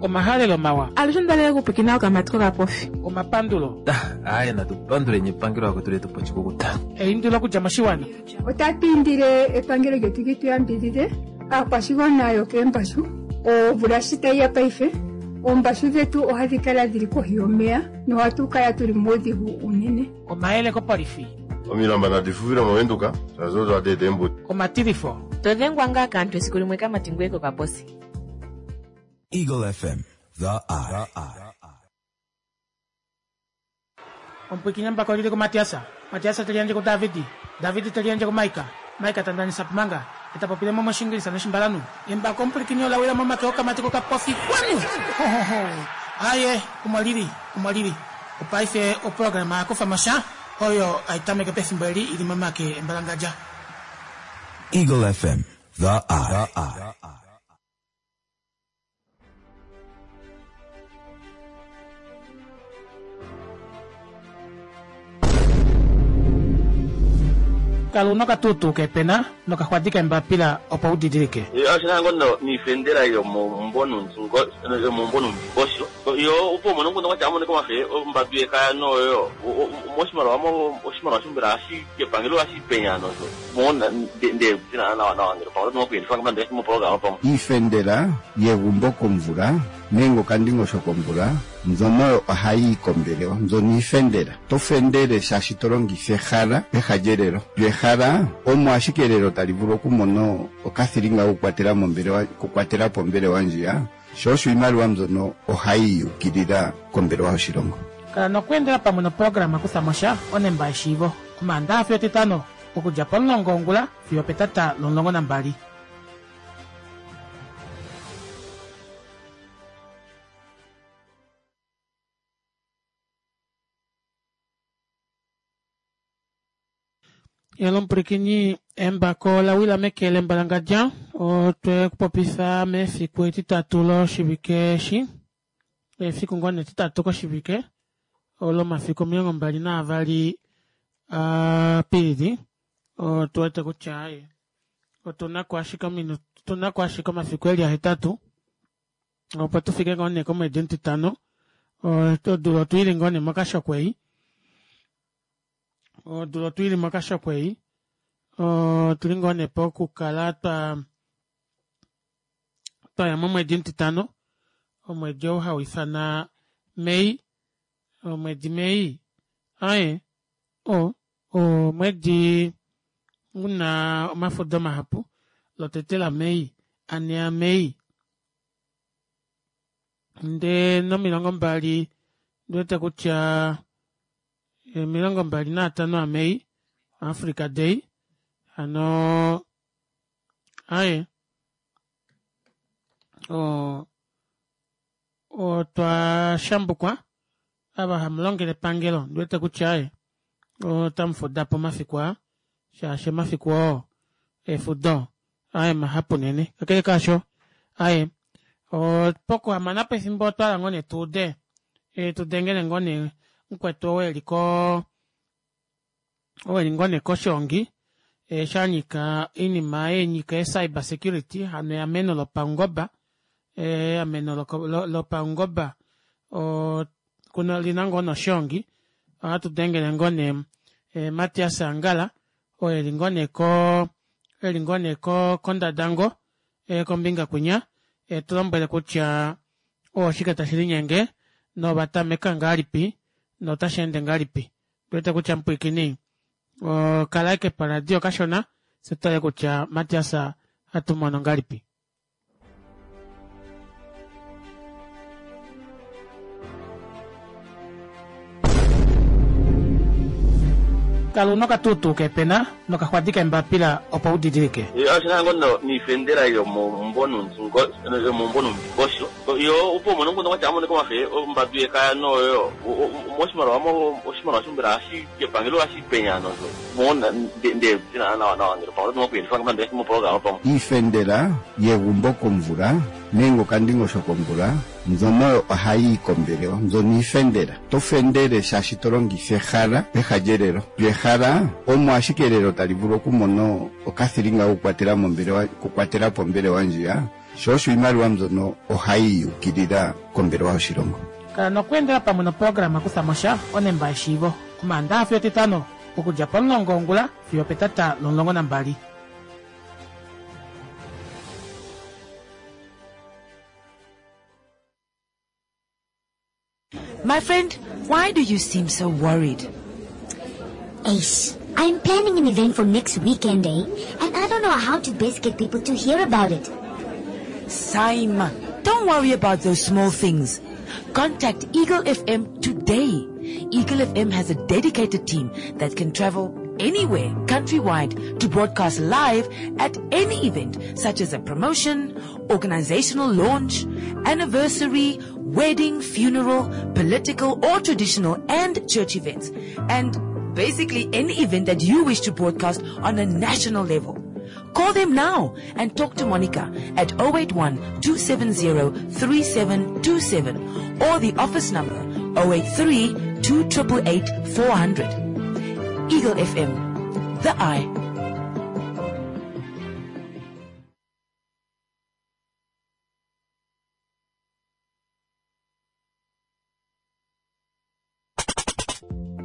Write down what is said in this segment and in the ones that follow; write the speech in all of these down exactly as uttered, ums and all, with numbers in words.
Omahalelo mawa. Alushe ondalele okupwikina okamati kokapofi. Omapandulo. Aaye natu panduleni epangelo akwetu letu po oshikukuta. Eindilo okudja moshiwana. Otatu indile epangelo lyetu li tu yambidhidhe aakwashigwana yokeembashu. Omvula shi tayi ya paife, oombashu dhetu ohadhi kala dhili kohi yomeya nohatu kala tuli muudhigu unene. Omayele kopolifi. Omilamba nadi fufile moVenduka shaashi odo hadi eta eembudi. Omatilifo. To dhengwa ngaa kaantu esiku limwe kamati ngweye kokaposi. Eagle F M, The Eye. Omupwikinyi mbako lili kuMatiasa. Matiasa te liyandje kuDavidi. Davidi te liyandje kuMaika. Maika ta ndanisa pumanga. E ta popile mo moshingilisa noshimbalanhu. Embako omupwilikini ola wila momake okamati kokapofi. Kwanu! Ho, ho, ho! Aye, omo lili, omo lili. Opaife oprograma ya kufa mo sha, oyo hai tameke pefimbo eli i li momake embalangadja. Eagle F M, The Eye. Kala una okatuutuu kepena nokaxwadi kembapila opo u didilike. Oshina ngo niifendela yomombonundingosho yo opo mono nguno kwatya amone komafe ombatu yekaya noyo moshimaliwa mo oshimaliwa shombela ashi kepangelo ashi penya nozo mona nde zina nawa nawa ngelo pamwe no kuyelifa ngamba mo program pamwe iifendela yegumbo komvula nenge okandingosho komvula mbyono ohayi yi kombelewa mbyono iifendela to fendele shaashi to longitha ehala peha lyelelo lyo ehala omo ashike elelo tali vulu okumona okathilinga kokukwatela mombelewa okukwatela po ombelewa ndjiya sho osho iimaliwa mbyono ohayi yukilila kombelewa yoshilongo. Kala nokweendela pamwe noprograma Kutha mo sha onemba yeshiivo Omaandaxa fiyo Etitano okudja pomulongo wongula fiyo opetata lomulongo nambali. Yalo omupwilikini embako ola wila meke lembalangadja otwe kupopifa mefiku etitatu loshivike eshi efiku ngoo nee etitatu koshivike olomafiku omilongo mbali naavali Apilili otu wete kutya aye otunako ashike otunako ashike omafiku eli ahetatu opo tufike ngoo nee komwedi omutitano odula otwiili ngoo nee mokashoko ei odula otwiili mokashoko ei otuli ngoo nee pokukala twa twaya momwedi omutitano omwedi ou hauifana May omwedi May aye o omwedi una omafudo mahapu lotete la May ane a May ndee nomilongo mbali ndiwete kutya omilongo mbali naatano a May Africa Day hano aye o otwa shambukwa ava hamulongele epangelo ndiwete kutya aye otamufuda po omafiku aa shaashi omafiku oo efudo aye mahapu unene kakele kaasho aye pokuhamana pefimbo otwahala ngoo nee tuude tudengele ngoo nee mukwetu ou eli ko ou eli ngoo nee koshongi shanyika oinima yenyika e cyber security hano eameno lopaungoba eameno lopaungoba lina ngoo noshongi ohatu dengele ngoo nee Matias Angala oo eli ngoo nee ko eli ngoo nee kondadango kombinga kwinya etulombwele kutya oshike tashi linyenge novatameka ngahelipi notasheende ngahelipi ondiwete kutya mupwiikini kala ashike poradio kashona fye tutale kutya Matias ohatumono ngahelipi. Kala una okatuutuu kepena nokaxwadi kembapila opo u didilike. Oshina ngo niifendela yomombonundingosho yo opo mono nguno kwatya amone komafe ombatu yekaya noyo moshimaliwa mo oshimaliwa shombela ashi kepangelo ashi penya nozo mona nde zina nawa nawa ngelo pamwe no kuyelifa ngamba mo program pamwe iifendela yegumbo komvula nenge okandingosho komvula mbyono ohayi yi kombelewa mbyono iifendela to fendele shaashi to longitha ehala peha lyelelo lyo ehala omo ashike elelo tali vulu okumona okathilinga kokukwatela mombelewa okukwatela po ombelewa ndjiya Sho osho iimaliwa mbyono ohayi yukilila kombelewa yoshilongo. Kala nokweendela pamwe noprograma Kuthamosha onemba yeshiivo Omaandaxa fiyo Etitano okudja pomulongo wongula fiyo opetata lomulongo nambali. My friend, why do you seem so worried? Ace, I'm planning an event for next weekend, eh? And I don't know how to best get people to hear about it. Saima, don't worry about those small things. Contact Eagle F M today. Eagle F M has a dedicated team that can travel anywhere countrywide to broadcast live at any event, such as a promotion, organizational launch, anniversary, wedding, funeral, political or traditional and church events, and basically any event that you wish to broadcast on a national level. Call them now and talk to Monica at oh eight one, two seven zero, three seven two seven or the office number oh eight three, two triple eight, four hundred. Eagle F M, the eye.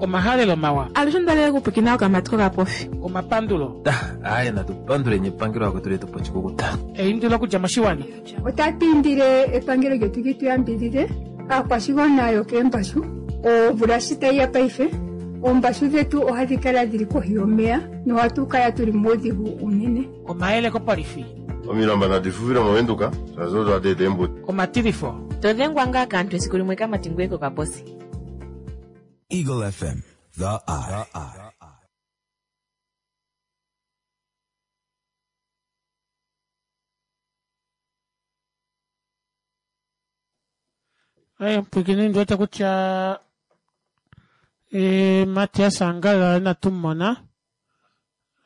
Omahalelo mawa. Alushe ndalele kupwikina okamatiko kapofi. Omapandulo. Aye, natu panduleni epangelo akwetu letu pochikukuta. Eindilo okudja moshiwana. Otatu indile epangelo lyetu li tu yambidhidhe aakwashigwana yokeembashu. Omvula shi tayi ya paife, oombashu dhetu ohadhi kala dhili kohi yomeya nohatu kala tuli muudhigu unene. Omayele kopolifi. Omilamba nadi fuvile moVenduka, shazo twa tete embuti. Omatilifo. To dhengwa ngaa kaantu esiku limwe kamati ngweye kokaposi. Eagle F M, the eye. Aye, mpwikini ndiwete kutya, eh, Matias Angala inatu mona.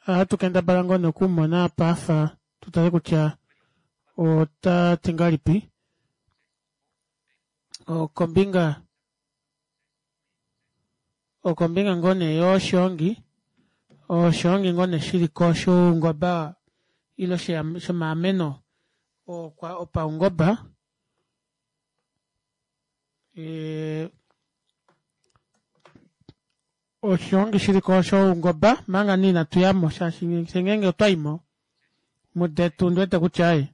Ohatu kendabala ngoo nokumona apa afa, tutale kutya ota ti ngahelipi. Okombinga, okombinga ngoo nee yoshiongi, oshiongi ngoo nee shili ko shoungoba ile shomaameno okwa opaungoba. E, oshiongi shili ko shoungoba manga ni inatu yamo, shaashi ngeenge otwa imo mudetu ndiwete kutya aye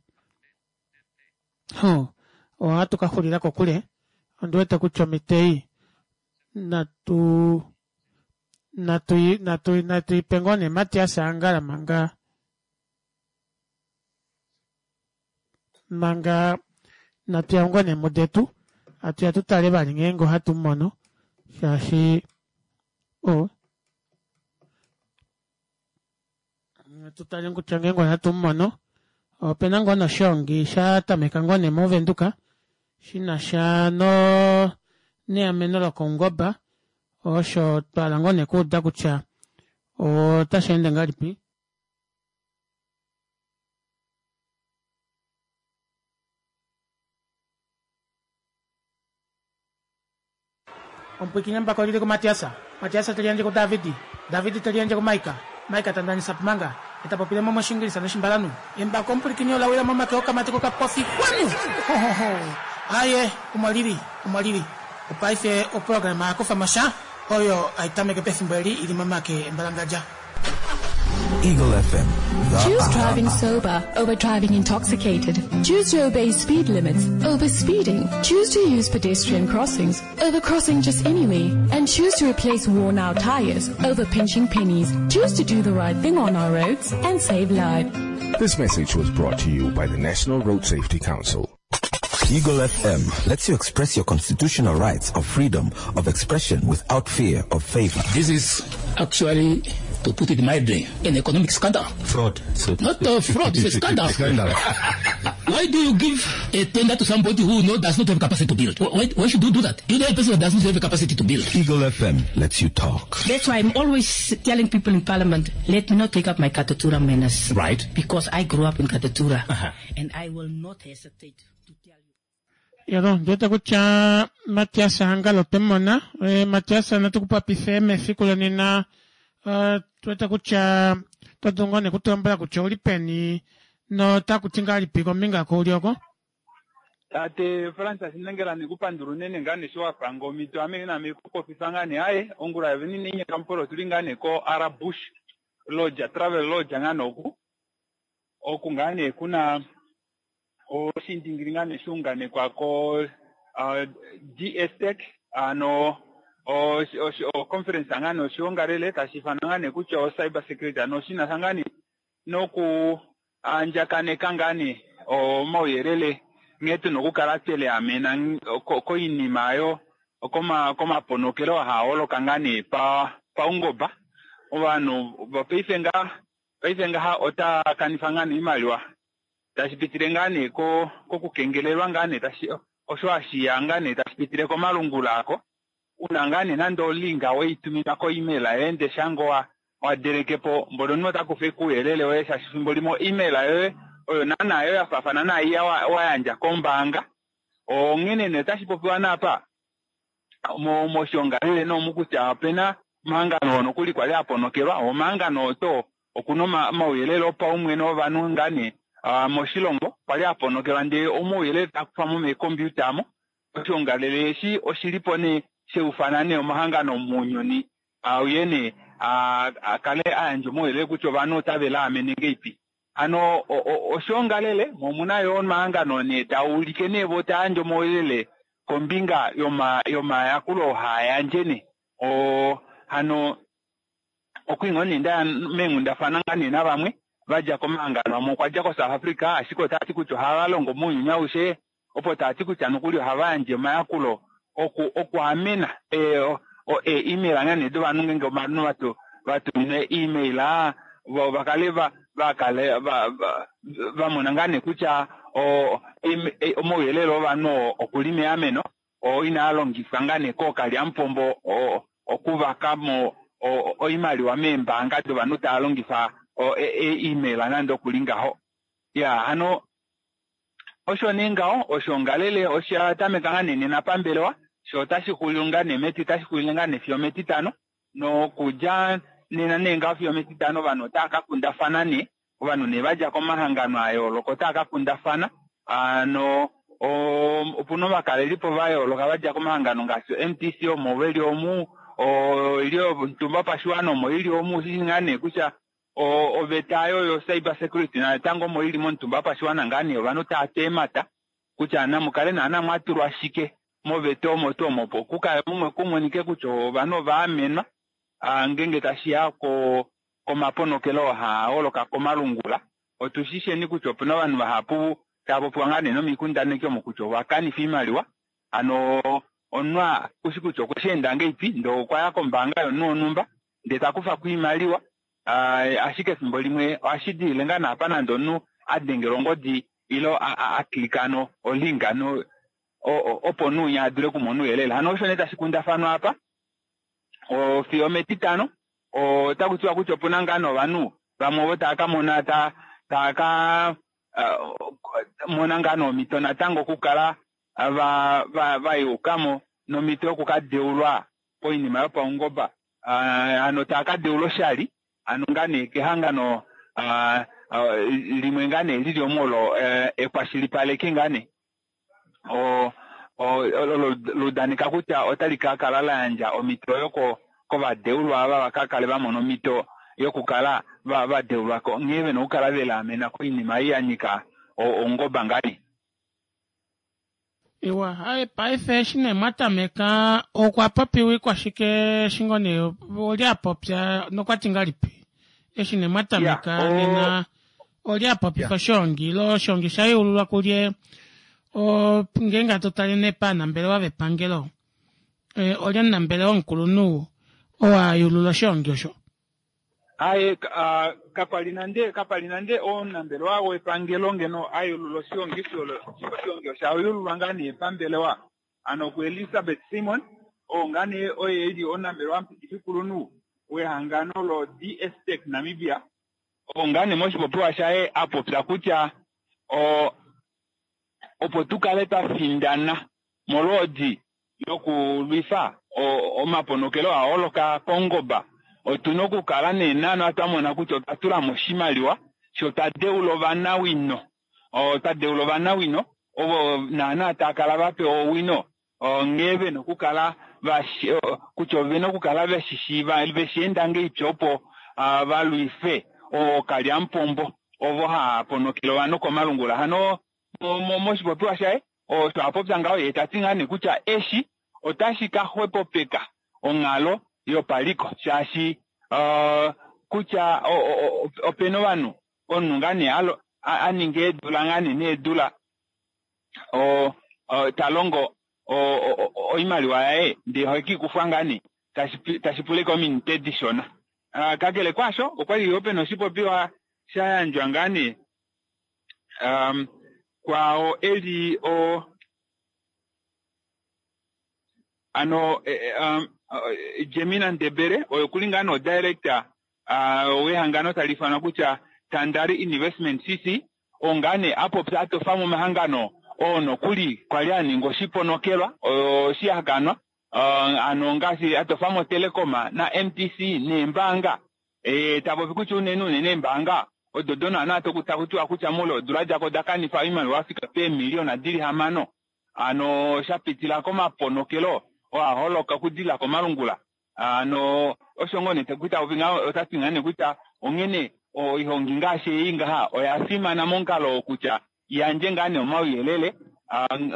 ho ohatu ka xulila kokule. Ondiwete kutya omitei natu natu natu natu ipe ngoo nee Matias Angala manga manga natu ya ngoo nee mudetu atu ya tutale vali ngeenge ohatu mono, shaashi o tutale kutya ngeenge ohatu mono. Opena ngoo noshiongi sha tameka ngoo nee moVenduka shina sha no neameno lokoungoba, osho twala ngoo nee kuuda kutya otashi ende ngahelipi. Ompwikine mbako lili ku Matiasa, Matiasa teliandje ku Davidi, Davidi teliandje ku Maika, Maika tandanisa pumanga, etapopile mo moshingilisa noshimbalanu. Embako ompwilikini olawila momake okamatiko kapofi kwanu. Ho, ho, ho. Aye, omo lili, omo lili. Opaife oprograma yakufa mosha oyo aitameke pefimbo eli ili momake embalangadja. Eagle F M. Choose driving sober over driving intoxicated. Choose to obey speed limits over speeding. Choose to use pedestrian crossings over crossing just anywhere. And choose to replace worn-out tires over pinching pennies. Choose to do the right thing on our roads and save lives. This message was brought to you by the National Road Safety Council. Eagle F M lets you express your constitutional rights of freedom of expression without fear of favor. This is actually, to put it mildly, an economic scandal. Fraud. So Not a fraud, it's a scandal. Scandal. Why do you give a tender to somebody who no, does not have capacity to build? Why, why should you do that? You know a person who does not have the capacity to build. Eagle F M lets you talk. That's why I'm always telling people in Parliament, let me not take up my Katutura manners. Right. Because I grew up in Katutura. Uh-huh. And I will not hesitate to tell you. Yalo, ndiwete kutya Matias Angala otwemona. E, Matias natukupapife mefiku lonena. Uh, tuwete kutya todungo nekutulombwela kutya ouli peni Notaku ti ngahelipi kombinga kouli oko? Tate Francis Nengela nekupandula unene ngaa nee sho wapanga omito ame name kupopifa ngaa nee aye ongula yovene inainyeka mupolo otuli ngaa nee ko Arabush Lodge Travel Lodge ngaa nee oku oku ngaa nee kuna oshindingili ngaa nee shuunganekwa ko uh, D S Tech ano o conference ngaa nee oshiongalele tashi ifanwa ngaa nee kutya o cyber security ano oshinasha ngaa nee noku andjakaneka ngaa nee omauyelele nghee tuna okukala tweliamena koinima yo komaponokelo haa holoka ngaa nee paungomba. Ovanhu paife nga paife ngaha ota kanifa ngaa nee iimaliwa tashi pitile ngaa nee kokukengelelwa ngaa nee tashi osho hashiya ngaa nee tashi pitile komalungula ako una ngaa nee nande olinga weitumina ko-email yoye ndee shango wadelekepo mbono omunhu ota kufa uuyelele woye shaashi fimbo limwe o-email yoye oyo naana yo yafaafana naiya wayandja kombaanga. Onghene nee otashi popiwa naapa moshiongalele noomu kutya opena omahangano nokuli kwali aponokelwa omahangano oto okuna omauyelele opaumwene ovanhu ngaa nee moshilongo kwali aponokelwa ndee omauyelele takufamo meekompiuta amo. Oshiongalele eshi oshilipo nee sheufana nee omahangano mounyuni auye nee akale ayandja omauyelele kutya ovanhu otave laamene ngeipi. Hano oshiongalele momuna yo omahangano nee taulike nee vo tayandje omauyelele kombinga yomayakulo haayandje nee o hano okwingo nee ndaya meenghundafana ngaa nee navamwe vadja komahangano amwe okwadja koSouth Africa ashike otati kutya ohava longo mounyuni aushe opo tati kutya nokuli ohava yandje omayakulo oku okuamena e-email ngaa nee dovanhu ngenge ovanhu vatuminwa e-email vo vakale vakale vamona ngaa nee kutya omauyelele ovanhu okuli meameno oo inaa longifwa ngaa nee kookalyamupombo okuvakamo oimaliwa meembaanga dovanhu tava longifa e-email nande okuli ngaho. Ya hano osho nee ngaho oshiongalele osha tameka ngaa nee nena pambelewa sho otashi xulile ngaa nee meti tashi xulile ngaa nee fiyo metitano nokudja nena nee ngaho fiyo metitano ovanhu otava ka kundafana nee ovanhu nee vadja komahangano ayooloka otava ka kundafana ano opuna ovakalelipo vayooloka vadja komahangano ngaashi M T C omo veli omu oili omutumba pashiwana omo ili omu shishi ngaa nee kutya oveta yo yo cyber security natango omo ili momutumba pashiwana ngaa nee ovanhu tava teemata kutya namukale naana mwatulwa shike moveta omo tuu omo opo kukale kumonike kutya ovanhu ova amenwa ngenge tashiya komaponokelo haa holoka komalungula. Otushisheni kutya opuna ovanhu vahapu tava popiwa ngaa nee nomikundaneki omo kutya ova kanifa iimaliwa ano omunhu kushi kutya okwe enda ngeipi ndee okwaya kombaanga yomunhu wonhumba ndee takufako iimaliwa ashike efimbo limwe ohashi dilile ngaa naapa nande omunhu adengelwa ongodi ilo aklika ano olink ano opo omunhu winya adule okumona ouyelele. Hano osho nee tashi kundafanwa apa fiyo metitano otaku tiwa kutya opuna ngaa novanhu vamwe ovo tava ka mona tava ka mona ngaa nomhito natango okukala vayukamo nomhito yokukadeulwa koinima yopaungoba hano tava ka deulwa oshali ano ngaa nee kehangano limwe ngaa nee lili omo olo ekwashilipaleki ngaa nee olo ludaneka kutya otali ka kala la yandja omhito oyo kovadeulwa ava vakakale vamona omhito yokukala vadeulwa nghee vena okukala velaamena koinima ei yanyika oungoba ngaa nee. Iwa, hai paife eshi nee mwatameka okwa popiwa ikwashike shingo nee oli apopya nokwati ngalipi eshi nee mwatameka nena oli apopifa oshiongi ilo oshiongi shayululwa kulye ngeenge hatu tale nee paanambelewa vepangelo oli omunambelewa omukulunhu oo ayulula oshiongi osho. Aye kapali nande kapali nande omunambelewa wepangelo ngeno ayulula oshiongi oshiongi oshayululwa ngaa nee pambelewa ano ku Elizabeth Simon oo ngaa nee oye eli omunambelewa mupitifikulunhu wehangano lo D S Tech Namibia oo ngaa nee moshipopiwa shaye apopya kutya opo tukale twafindana molwoodi yokulwifa omaponokelo aholoka paungoba otuna okukala nee naana twamona kutya otwa tulamo oshimaliwa Sho twa deula ovanawino, twa deula ovanawino ovo naana taakala vapewa owino nghee vena okukala kutya ovena okukala veshishiiva veshienda ngeipi opo valwife ookalyamupombo ovo haaponokele ovanhu komalungula. Hano moshipopiwa shaye osho apopya ngaho yee tati ngaa nee kutya eshi otashi ka xwepopeka onghalo yopaliko shaashi kutya opena ovanhu omunhu ngaa nee aninga eedula ngaa nee needula talongo oimaliwa yaye ndee ohekiikufwa ngaa nee tashi pula ominute dishona. Kakele kwaasho okwali yoo pena oshipopiwa shayandjwa ngaa nee kwao eli o ano Jemina Ndebele oyo kuli ngaa nee director wehangano tali ifanwa kutya Tandari Investment C C ongaa nee apopya atofa momahangano oo nokuli kwali aninga oshiponokelwa oshihakanwa ano ngaashi atofa mo Telecom na M T C neembaanga tapopi kutya unene unene eembaanga odo donaana takutiwa kutya moule wodula djako oda kanifa oimaliwa fika peemiliona dili hamano ano shapitila komaponokelo oo aholoka okudilila komalungula. Ano osho ngoo nee otati ngaa nee kutya onghene oihongi ngaashi ei ngaha oya fimana momukalo wokutya yandje ngaa nee omauyelele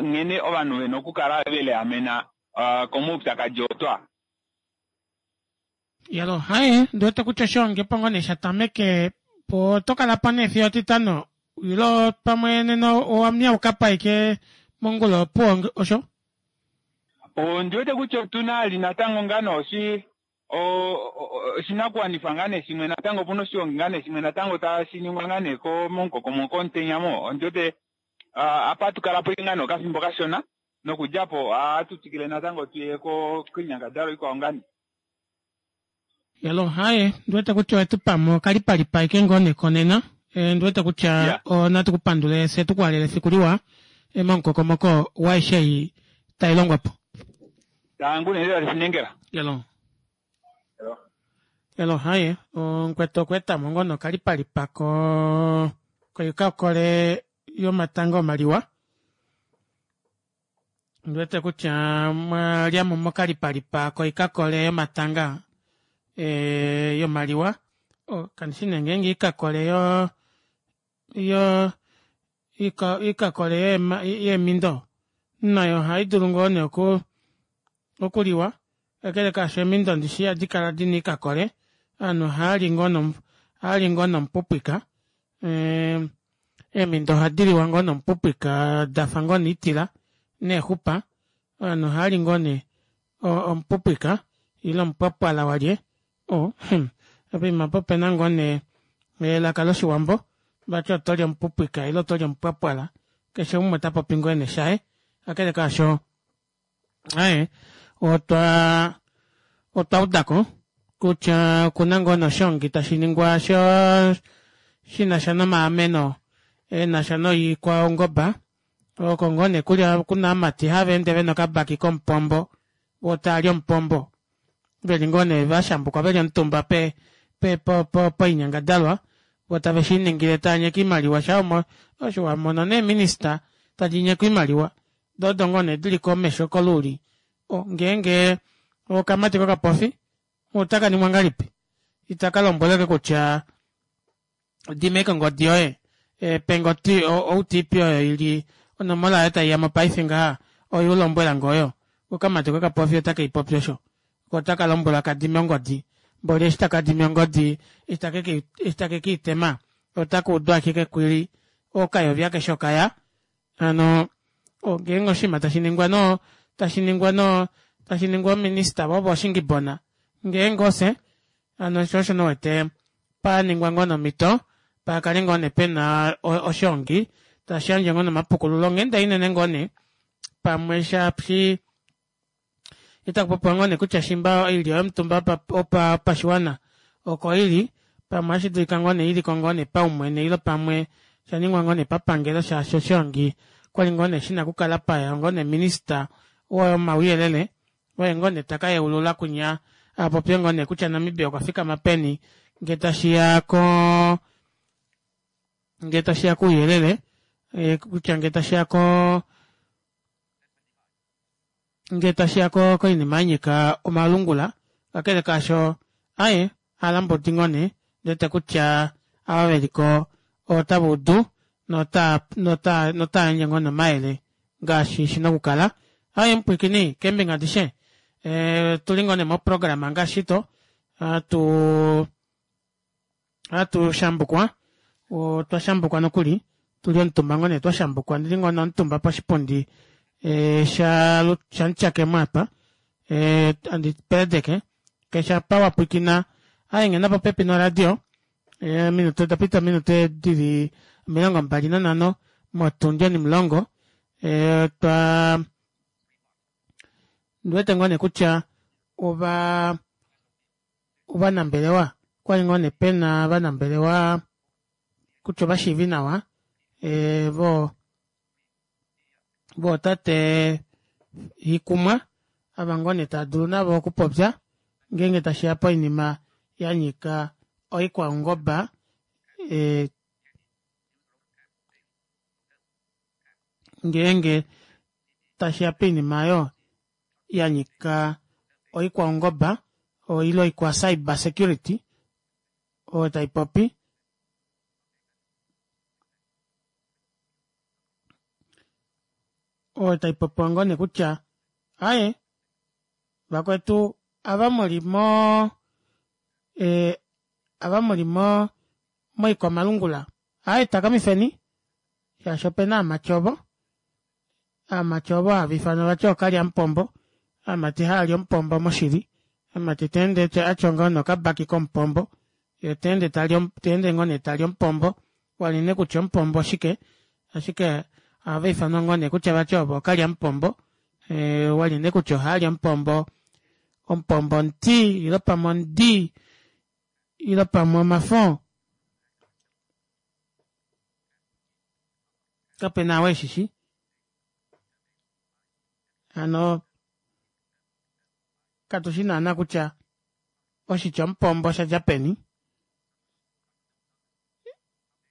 nghene ovanhu vena okukala veliamena komaupyakadi otwa. Yalo haye ndiwete kutya oshihongi opo ngoo nee shatameke po oto kala po nee fiyo etitano ilo pamwe nena owamyauka po aike mongula opuwo osho? Ondiwete kutya otuna ali natango ngaa nee oshi oshinakuwanifwa ngaa nee shimwe natango opuna oshihongi ngaa nee shimwe natango tashi ningwa ngaa nee momukokomoko womutenya mo. Ondiwete apa tukala po ngaa nee okafimbo kashona nokudjapo ohatu twikile natango tuye koinyangadalwa ikwao ngaa nee. Yalo haye ndiwete kutya owetu pamo okalipalipa aike ngoo nee konena ndiwete kutya natu kupandule fye tukuhalele efiku liwa momukokomoko waaishe ei tai longwa po. Tangu nee lela Yalo. Yalo haye omukwetu okweetamo ngoo nee okalipalipa ko koikakole yomatanga omaliwa. Ndiwete kutya mwalyamo mokalipalipa koikakole yomatanga yomaliwa. Kandishi nee ngeenge oikakole yo yo oikakole yeemindo nayo ohaidulu ngoo nee okuliwa kakele kaasho eemindo ndishi ihadi kala dina oikakole ovanhu ohaali ngoo nomupupwika eemindo ohadiliwa ngoo nomupupwika dafa ngoo nee oitila neexupa ovanhu ohaali ngoo nee omupupwika ile omupwapwala walye oh poima apa opena ngoo nee elaka loshiwambo vati otoli omupupwika ile otoli omupwapwala keshe umwe otapopi ngoo nee shaye kakele kaasho aaye otwa otwaudako kutya okuna ngoo nee oshihongi tashiningwa sho shinasha nomaameno enasha noikwaungoba oko ngoo nee kuli kuna ovamati haveende vena okabaki komupombo voo taali omupombo veli ngoo nee vashambukwa veli omutumba pe poinyangadalwa voo tave shiningile taanyeke oimaliwa sha osho wamono nee minister tadi nyeke oimaliwa doo odo ngoo nee dili komesho koluuli ngeenge okamati kokapofi otakaningwa ngahelipi itaka lombweleke kutya dima ashike ongodi yoye penge O T P oyo ili onomola oyo taiyamo paife ngaha oyo ulombwelange oyo okamati kokapofi otakeipopi osho otaka lombwelwa kadime ongodi mboli eshi takadime ongodi eshi takekiitema otaka udu ashike ekwili okayovi akeshe okaya hano ngeenge oshinima tashiningwa noo tashiningwa noo tashiningwa ominister voo voshingibona ngeenge ofye hano shoo osho nee uwete paningwa ngoo nee omito pakale ngoo nee pena oshihongi tashiyandje ngoo nee omapukululo onghenda inene ngoo nee pamwe shaashi itakupopiwa ngoo nee kutya shimba oilyo yomutumba wopashiwana oko ili pamwe ohashidulika ngoo nee iliko ngoo nee paumwene ile pamwe oshaningwa ngoo nee papangelo shaashi oshihongi okwali ngoo nee shina okukala paya ngoo nee minister womauyelele oye ngoo nee takayeulula kunya apopye ngoo nee kutya Namibia okwa fikama peni ngee tashiya koo Ngee tashiya kouyelele kutya ngee tashiya koo ngee tashiya koinima yanyika omalungula kakele kaasho aaye halambudi ngoo nee ondiwete kutya ava veliko otavaudu nota nota notayandje ngoo nee omayele ngaashi shina okukala. Aaye mupwiikini keembinga adishe ee otuli ngoo nee moprograma ngaashi shito hatuu hatu shambukwa otwa shambukwa nokuli tuli omutumba ngoo nee twashambukwa ondili ngoo nee omutumba poshipundi sha shamutyakemo aapa handi peedeke keshe apa wapwiikina aaye nghena popepi noradio ominute odapita ominute dili omilongo mbali nanhano motundi onimulongo otwaa ondiwete ngoo nee kutya ovaa ovanambelewa okwali ngoo nee pena ovanambelewa kutya ovashiivinawa voo vootate Hikumwa ava ngoo nee taadulu navo okupopya ngeenge tashiya poinima yanyika oikwaungoba ngeenge tashiya poinima aayo yanyika oikwaungoba ile oikwa cyber security oyo taipopi oyo taipopiwa ngoo nee kutya aaye vakwetu ava muli moo ava muli mo moikwamalungula aaye takamifeni shaashi opena ovamati ovo ovamati ovo hava ifanwa vati ookalyamupombo ovamati haali omupombo moshili omumati teende atya ngaho nokabaki komupombo yee otaende tali teende ngoo nee tali omupombo wali nee kutya omupombo oshike ashike ohava ifanwa ngoo nee kutya vati ovo ookalyamupombo wali nee kutya ohaali omupombo omupombo omuti ile pamwe omudi ile pamwe omafo kapena ou eshishi hano katushi naana kutya oshitya omupombo oshadja peni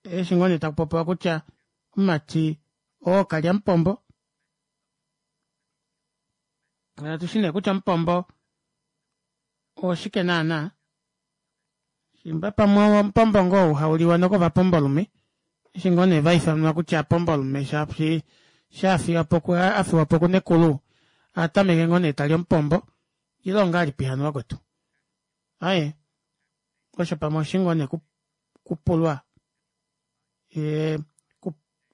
eshi ngoo nee takupopiwa kutya omumati oo okalyamupombo katushi nee kutya omupombo oshike naana shimba pamwe omupombo ngoo ou hauliwa nokovapombolume eshi ngoo nee vaifanwa kutya aapombolume shaashi shaafiwapo afiwapo kunekulu ohatameke ngoo nee tali omupombo ile ongahelipi hano vakwetu aaye osho pamwe oshi ngoo nee kupulwa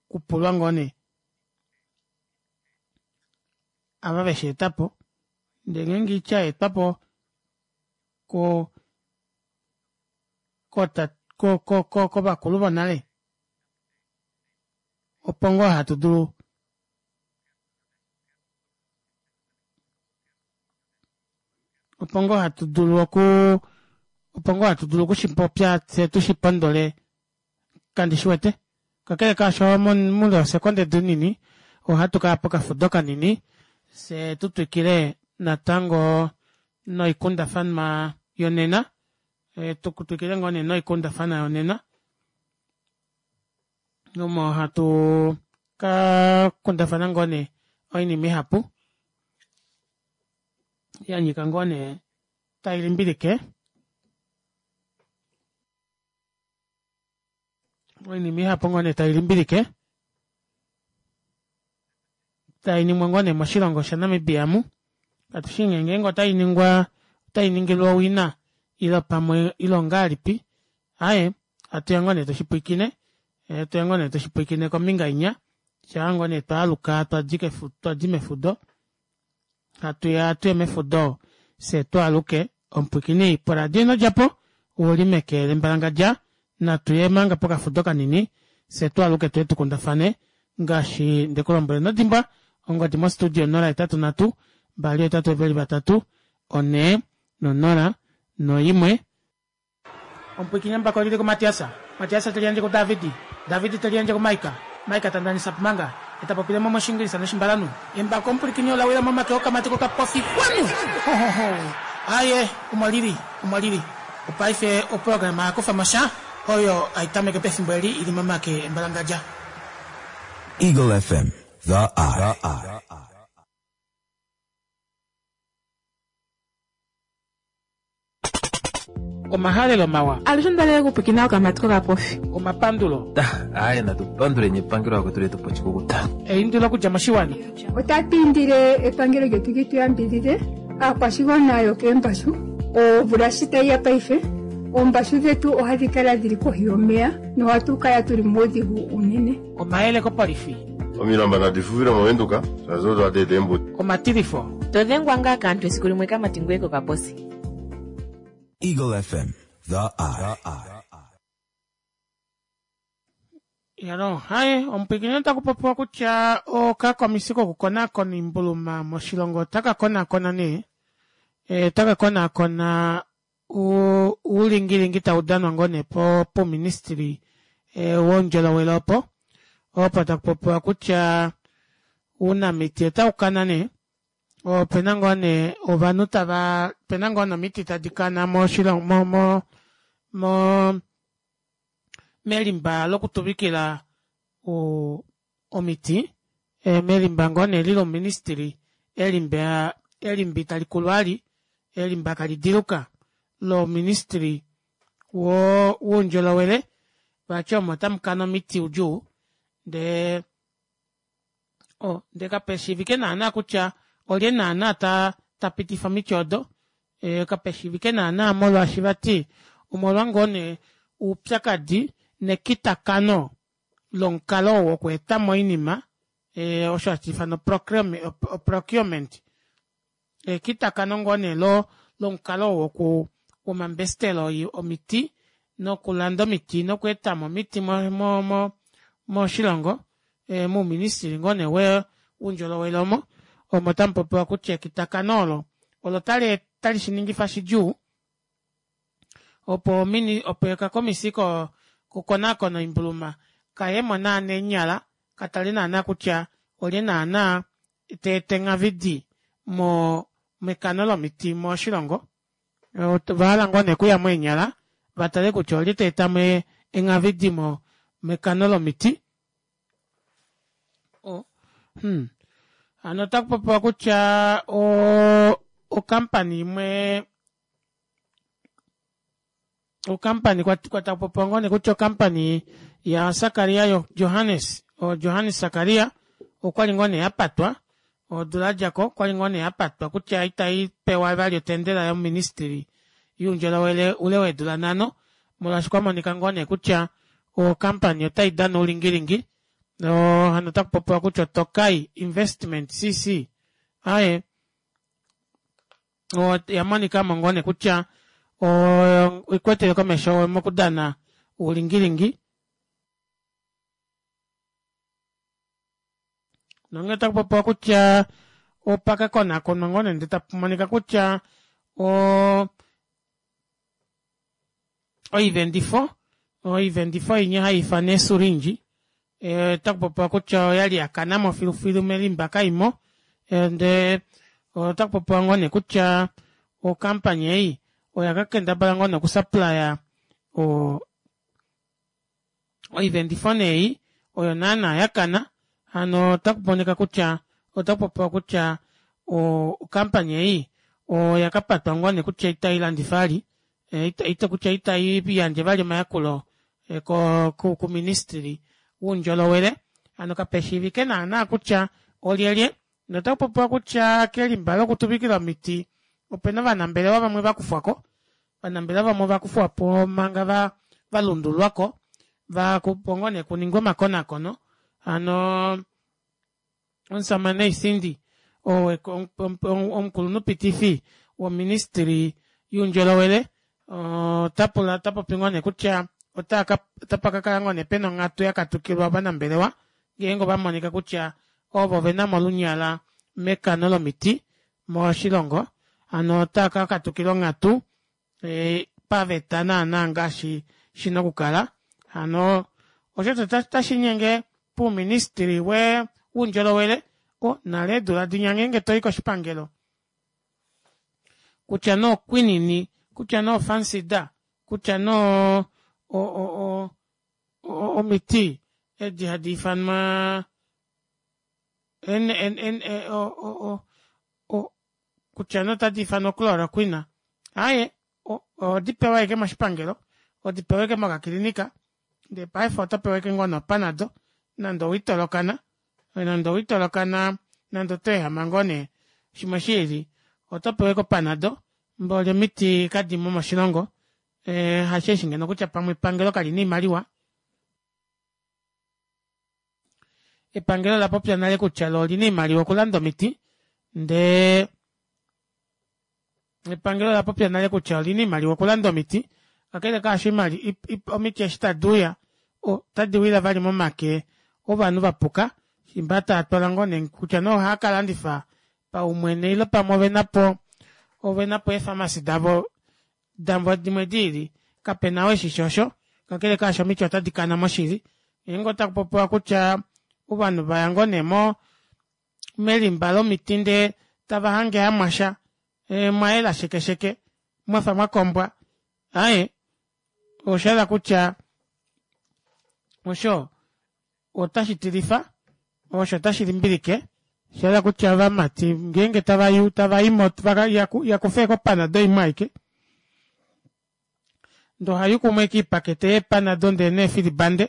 kupulwa ngoo nee ava vesheetapo ndee ngeenge oitya yaetwapo ko ko ko kovakulu vonale opo ngoo hatu dulu opo ngoo hatu dulu okuu opo ngoo hatu dulu okushipopya fyee tushipondole kandishiwete kakele kaasho moule wesekonde dinini ohatu kaya pokafudo kanini fyee tutwikile natango noikundafanwa yonena tutwikile ngoo nee noikundafanwa yonena omo hatu kakundafana ngoo nee oinima ihapu yanyika ngoo nee tailimbilike oinima ihapu ngoo nee tailimbilike tainingwa ngoo nee moshilongo sha namibia omu katushi nee ngeenge otainingwa otainingilwa owina ile pamwe ile ongahelipi aaye hatuya ngoo nee tushipwiikine hatuya ngoo nee tushipwiikine kombinga inya shaa ngoo nee twaaluka twadi mefudo hatuya tuye mefudo fyee twaaluke omupwiikini poradio inodjapo ouli meke lembalangadja natuye manga pokafudo kanini fyee twaaluke tuye tukundafane ngaashi ndekulombwela inodimbwa ongodi mo studio onola hetatu nhatu mbali ohetatu veli vatatu onhee nonola noimwe. Omupwiikini embako olili kuMatias, Matias teliyandje kuDavid, David teliyandje kuMaika, Maika ta ndanisa pumanga, e ta popile mo mOshiingilisa nOshimbalanhu. Embako omupwilikini ola wila momake okamati kokapofi kwanu! Hohoho! Aaye, omo lili, omo lili. Opaife oprograma oya kufa mo sha. Oyo haitameke pefimbo eli ili momake embalangadja. Eagle F M, The Eye. Omahalelo mawa. Alushe ndalele kupwikina okamati kokapofi. Omapandulo. Aye, natupandule epangelo lako tuletu po chikukuta. Eindilo okudja moshiwana. Otatu indile epangelo lyetu li tu yambidhidhe aakwashigwana yokeembashu. Omvula shi tayi ya paife, oombashu dhetu ohadhi kala dhili kohi yomeya nohatu kala tuli muudhigu unene. Omayele kopolifi. Omilamba nadi fuvile movenduka, shazo twa eembuti. Omatilifo. Todhengwa ngaa kaantu esiku limwe kamati ngoye kokaposi. Eagle F M, The Eye. Yalo, haye, omupwikini otaku popiwa kutya okakomisi kokukonakona iimbuluma moshilongo otaka konakona nee, otaka konakona uulingilingi tau danwa ngoo nee puuministili woundjolowele opo, opo taku popiwa kutya uunamiti otau kana nee, opena ngoo nee ovanhu tava, opena ngoo nomiti tadi kana moshilongo, mo mo mo melimba lokutuvikila omiti, melimba ngoo nee lilo ministry, elimba elimba italikulu vali, elimba kalidiluka lo ministry wo woundjolowele vati omo tamukana omiti udjuu ndee o ndee kapeshiivike naana kutya olye naana tapitifa omiti odo kapeshiivike naana molwaashi vati omolwa ngoo nee oupyakadi nekitakano lomukalo wokweetamo oinima osho hashiifanwa procurement ekitakano ngoo nee lomukalo woku womambestelo omiti nokulanda omiti nokweetamo omiti mo mo moshilongo mouministry ngoo nee woundjolowele omo omo tamupopiwa kutya ekitakano olo olo tali shiningifa shidjuu opo opo okakomisi kokukonakona oimbuluma kayemo naana eenyala katale naana kutya olye naana teeta enghavidi mo mekano lomiti moshilongo ovahala ngoo nee okuyamo eenyala vatale kutya olye teetamo enghavidi mekano lomiti. Hmm. Hano otakupopiwa kutya o okampani imwe okampani kwatakupopiwa ngoo nee kutya okampani ya Sakaria Johannes o Johannes Sakaria okwali ngoo nee yapatwa odula yadjako okwali ngoo nee yapatwa kutya itaipewa vali otendela yoministry youndjolowele ule weedula nhano molwaashi kwamonika ngoo nee kutya okampani otaidana oulingilingi hano otakupopiwa kutya Tokai Investment C C aye yamonikamo ngoo nee kutya oikwetele komesho mokudana oulingilingi nonge otakupopiwa kutya opakakonakonwa ngoo nee ndee tapumonika kutya o oivendifo oivendifo inya haiifanwa eesulinji otakupopiwa kutya oyali yakanamo filufilu melimba kaimo ndee otakupopiwa ngoo nee kutya okampani ei oya kakendabala ngoo nee okusupplya o oivendifo nei oyo naana yakana hano otakumonika kutya otakupopiwa kutya okampani ei oya kapatwa ngoo nee kutya itailandifa vali ita kutya itaiyandje vali omayakulo kuministry woundjolowele hano kapeshiivike naana kutya olyelye notakupopiwa kutya kelimba lokutuvikila omiti opena ovanambelewa vamwe vakufwako ovanambelewa vamwe vakufwapo manga valundulwako vakupo ngoo nee kuningwa omakonakono hano omusamane Ithindi omukulunhupitifi woministry youndjolowele otapula otapopi ngoo nee kutya otapakakala ngoo nee pena onghatu yakatukilwa ovanambelewa ngeenge ovamonika kutya ovo venamo olunyala mekano lomiti moshilongo hano otaka katukilwa onghatu paveta naana ngaashi shina okukala hano osho tashinyenge puuministry woundjolowele nale eedula dinya ngeenge toyi koshipangelo kutya nee oquinine kutya nee ofansida kutya nee O- o- omiti edi hadi ifanwa N N N o- o- kutya nee otadi ifanwa o chloroquina aaye ohodi pewa ashike moshipangelo hodi pewa ashike mokakilinika ndee paife otopewa ashike ngoo nee opanado nande owiitolokana nande owiitolokana nande otweehama ngoo nee shimwe shiili otopewa ashike opanado mboli omiti kadimo moshilongo ee hasheeshi ngeno kutya pamwe epangelo kalina oimaliwa epangelo olapopya nale kutya loo olina oimaliwa okulanda omiti ndee epangelo olapopya nale kutya olina oimaliwa okulanda omiti kakele kaasho omiti eshi taduuya ota diwile vali momake ovanhu vapuka shiimba taatwala ngoo nee kutya nee ohaakalandifa paumwene ile pamwe ovenapo ovenapo ee pharmacy davo davo dimwe diili kapena ou eshishi osho kakele kaasho omiti ota dikana moshili ngeenge otakupopiwa kutya ovanhu vaya ngoo nee moo melimba lomiti ndee tavahange hamwasha mwayela sheke sheke mwafa mwakombwa aaye oshahala kutya osho ota shitilifa osho ota shilimbilike oshahala kutya ovamati ngeenge tavayu tavaimo yakufa ashike opanado imwe aike ndee ohayukumo ashike oipakete yee panado ndee neefilibande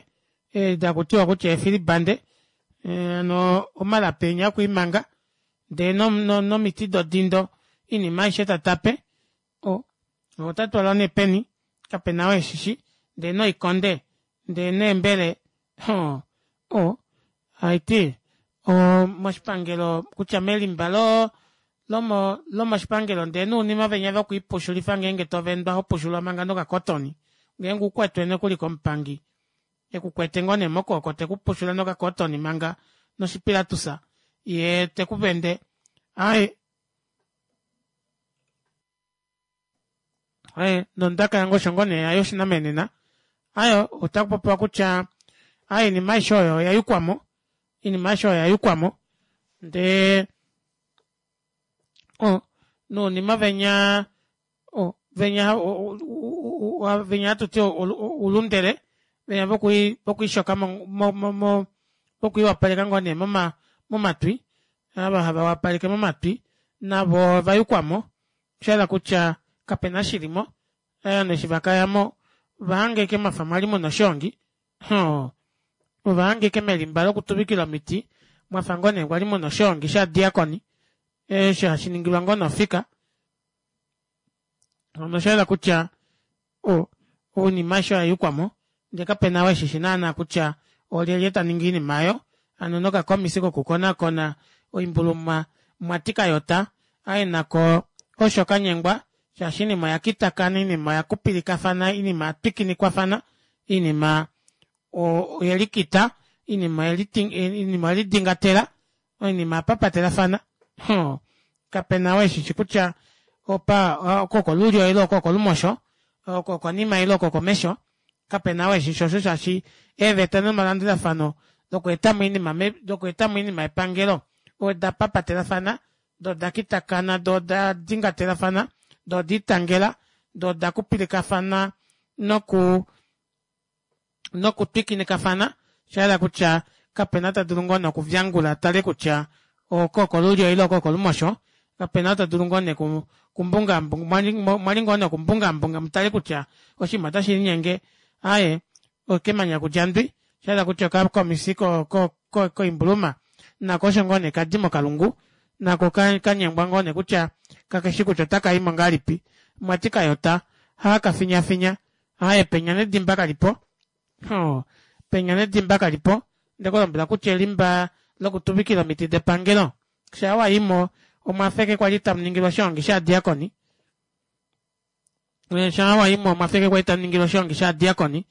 edi hakutiwa kutya eefilibande hano omalapi enya okwiimanga ndee nomiti dodindo oinima aishe tatape oo otatwalwa nee peni kapena ou eshishi ndee noikonde ndee neembele oo oo haiti moshipangelo kutya melimba loo lomo lomoshipangelo ndee nounima venya vokwiipushulifa ngenge tovendwa hopushulwa manga noka cotton ngeenge ukwetwe nokuli komupangi ekukwete ngoo nee mokwooko tekupushula noka cotton manga noshipilatusa yee tekuvende aaye aaye nondaka yange osho ngoo nee hayo oshinamenena aaye otakupopiwa kutya aaye oinima aishe oyo oyayukwamo oinima aishe oyo oyayukwamo ndee oo nounima venya venya venya hatuti oulundele venya vokwiishoka mo- mo- mo vokwiiwapaleka ngoo nee momatwi ava hava wapaleke momatwi navo ovayukwamo oshahala kutya kapena eshi shilimo ovanhu eshi vakayamo ovahanga ashike mwafa mwali muna oshoongi oo ovahanga ashike melimba lokutuvikila omiti mwafa ngoo nee kwali muna oshoongi shovadiakoni osho hashiningilwa ngoo nee ofika hano oshayela kutya oinima aishe oyayukwamo ndee kapena ou eshishi naana kutya olyelye taningi oinima aayo hano nokakomisi kokukonaakona oimbuluma mwati kayota aaye nako osho kanyengwa shaashi oinima oyakitakana oinima oya kupilikafana oinima oyatwikinikwafana oinima oyelikita oinima oyelidingatela oinima oyapapatelafana oo kapena ou eshishi kutya opa oko okolulyo ile oko okolumosho oko okonima ile oko okomesho kapena ou eshishi osho shaashi eeveta nomalandulafano dokweetamo oinima dokweetamo oinima yepangelo oda papatelafana doo odakitakana doo oda dingatelafana doo odiitangela doo oda kupilikafana nokuu noku twikinikafana oshahala kutya kapena ou tadulu ngoo nee okuvyangula atale kutya oko okolulyo ile oko okolumosho kapena ou tadulu ngoo nee okumbunga mwali ngoo nee okumbungaambunga mutale kutya oshinima ota shilinyenge aaye okemanya kudja ndwi oshahala kutya okakomisi koimbuluma nako osho ngoo nee kadi mokalungu nako kanyengwa ngoo nee kutya kakeshi kutya otakaimo ngahelipi mwati kayota haakafinyafinya aaye penya nedimba kalipo oo penya nedimba kalipo ondekulombwela kutya elimba lokutuvikila omiti depangelo shaa wayimo omwafa ashike kwali tamuningilwa oshoongi shovadiakoni shaa wayimo omwafa ashike kwali tamuningilwa oshoongi shovadiakoni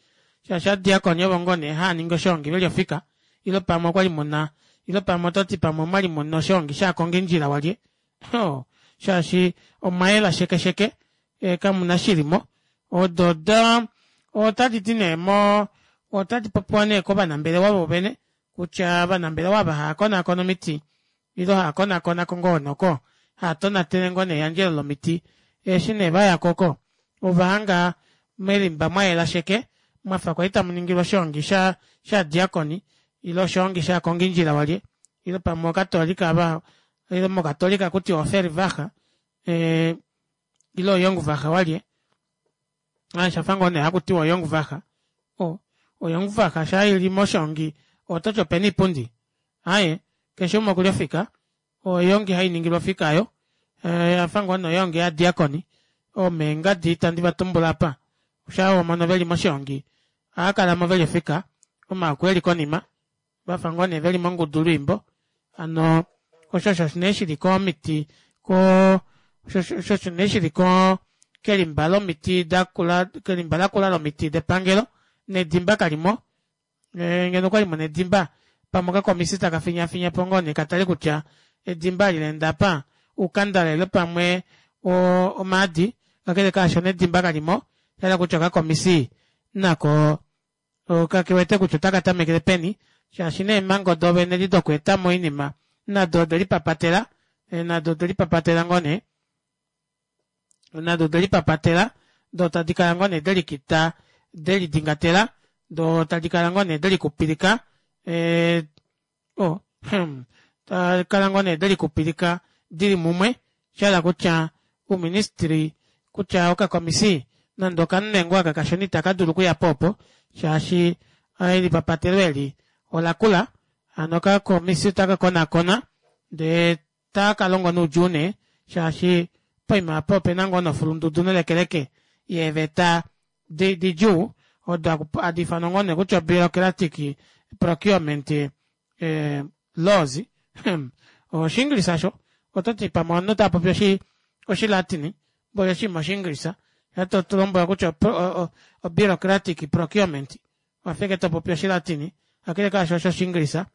shaashi ovadiakoni ovo ngoo nee haaningi oshoongi veli ofika ile pamwe okwali muna ile pamwe ototi pamwe omwali muna oshoongi shovakongindjila walye oo shaashi omwayela sheke sheke kamuna eshi shilimo odo odaa otadidi nee moo otadipopiwa nee kovanambelewa voovene kutya ovanambelewa ava haakonaakona omiti ile haakonaakonako ngoo noko haatonatele ngoo nee eyandjelo lomiti eshi nee vayako oko ovahanga melimba mwayela sheke Mwafa kwali tamuningilwa oshoongi sha shadiakoni ile oshoongi shakongindjila walye ile pamwe okatolika ava ile mokatolika hakutiwa ofervaha ee ile oyongvaha walye aaye oshafa ngoo nee hakutiwa oyongvaha o oyongvaha shaa ili moshongi ototi opena oipundi aaye keshe umwe okuli ofika oyoongi hainingilwa ofika aayo oyafa ngoo nee oyoongi yovadiakoni omeengadi itandi vatumbula aapa shaa wamono veli moshongi ohaakalamo veli ofika omaako eli konima vafa ngoo nee veli mongudu lwiimbo hano osho osho nee shili komiti koo osho osho nee shili koo kelimba lomiti dakula kelimba lakula lomiti depangelo nedimba kalimo ngeno okwali muna edimba pamwe okakomisi taka finyafinyapo ngoo nee katale kutya edimba eli laenda aapa oukandala ile pamwe omaadi kakele kaasho nedimba kalimo oshahala kutya okakomisi nako kakewete kutya ota katamekele peni shaashi neemango doovene edi dokweetamo oinima nado odelipapatela nado odelipapatela ngoo nee nado odelipapatela doo tadikala ngoo nee delikita delidingatela doo tadikala ngoo nee delikupilika ee oh hmm tadikala ngoo nee delikupilika dili mumwe shahala kutya ouministry kutya okakomisi nande okamunwe ngoo aka kashona ita kadulu okuyapo opo shaashi elipapatelo eli olakula hano okakomisi ota kakonaakona ndee takalongo noudjuu nee shaashi poima aapa opena ngoo nee ofulundudu nelekeleke yeeveta didjuu odo hadi ifanwa ngoo nee kutya bureaucratic procurement laws oshinglisa aasho ototi pamwe ovanhu otaapopi oshilatini mboli oshinima oshinglisa shoo tatulombwelwa kutya o bureaucratic procurement owafa ashike topopi oshilatini kakele kaasho osho oshinglisa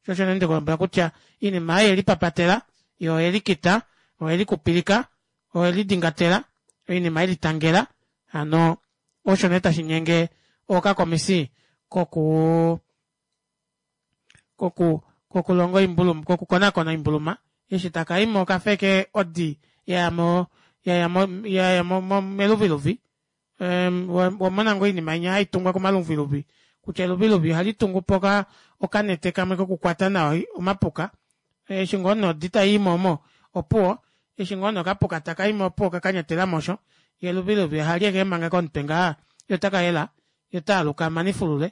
shoo osho nee ndekulombwela kutya oinima ei oyelipapatela yoo oyelikita oyelikupilika oyelidingatela oinima yelitangela hano osho nee tashinyenge okakomisi kokuu koku kokulonga oimbuluma kokukonaakona oimbuluma eshi takaimo okafa ashike odi yaya yaya meluviluvi owamona ngoo oinima inya haitungwa komaluviluvi kutya eluviluvi ohalitungupo okanete kamwe kokukwata nawa omapuka eshi ngoo nee odi tayiimo omo opuwo eshi ngoo nee okapuka takaimo opuwo okakanyatelamo osho yee eluviluvi ohali keemanga komutwe ngaha yee otakayela yee otaaluka amanifulule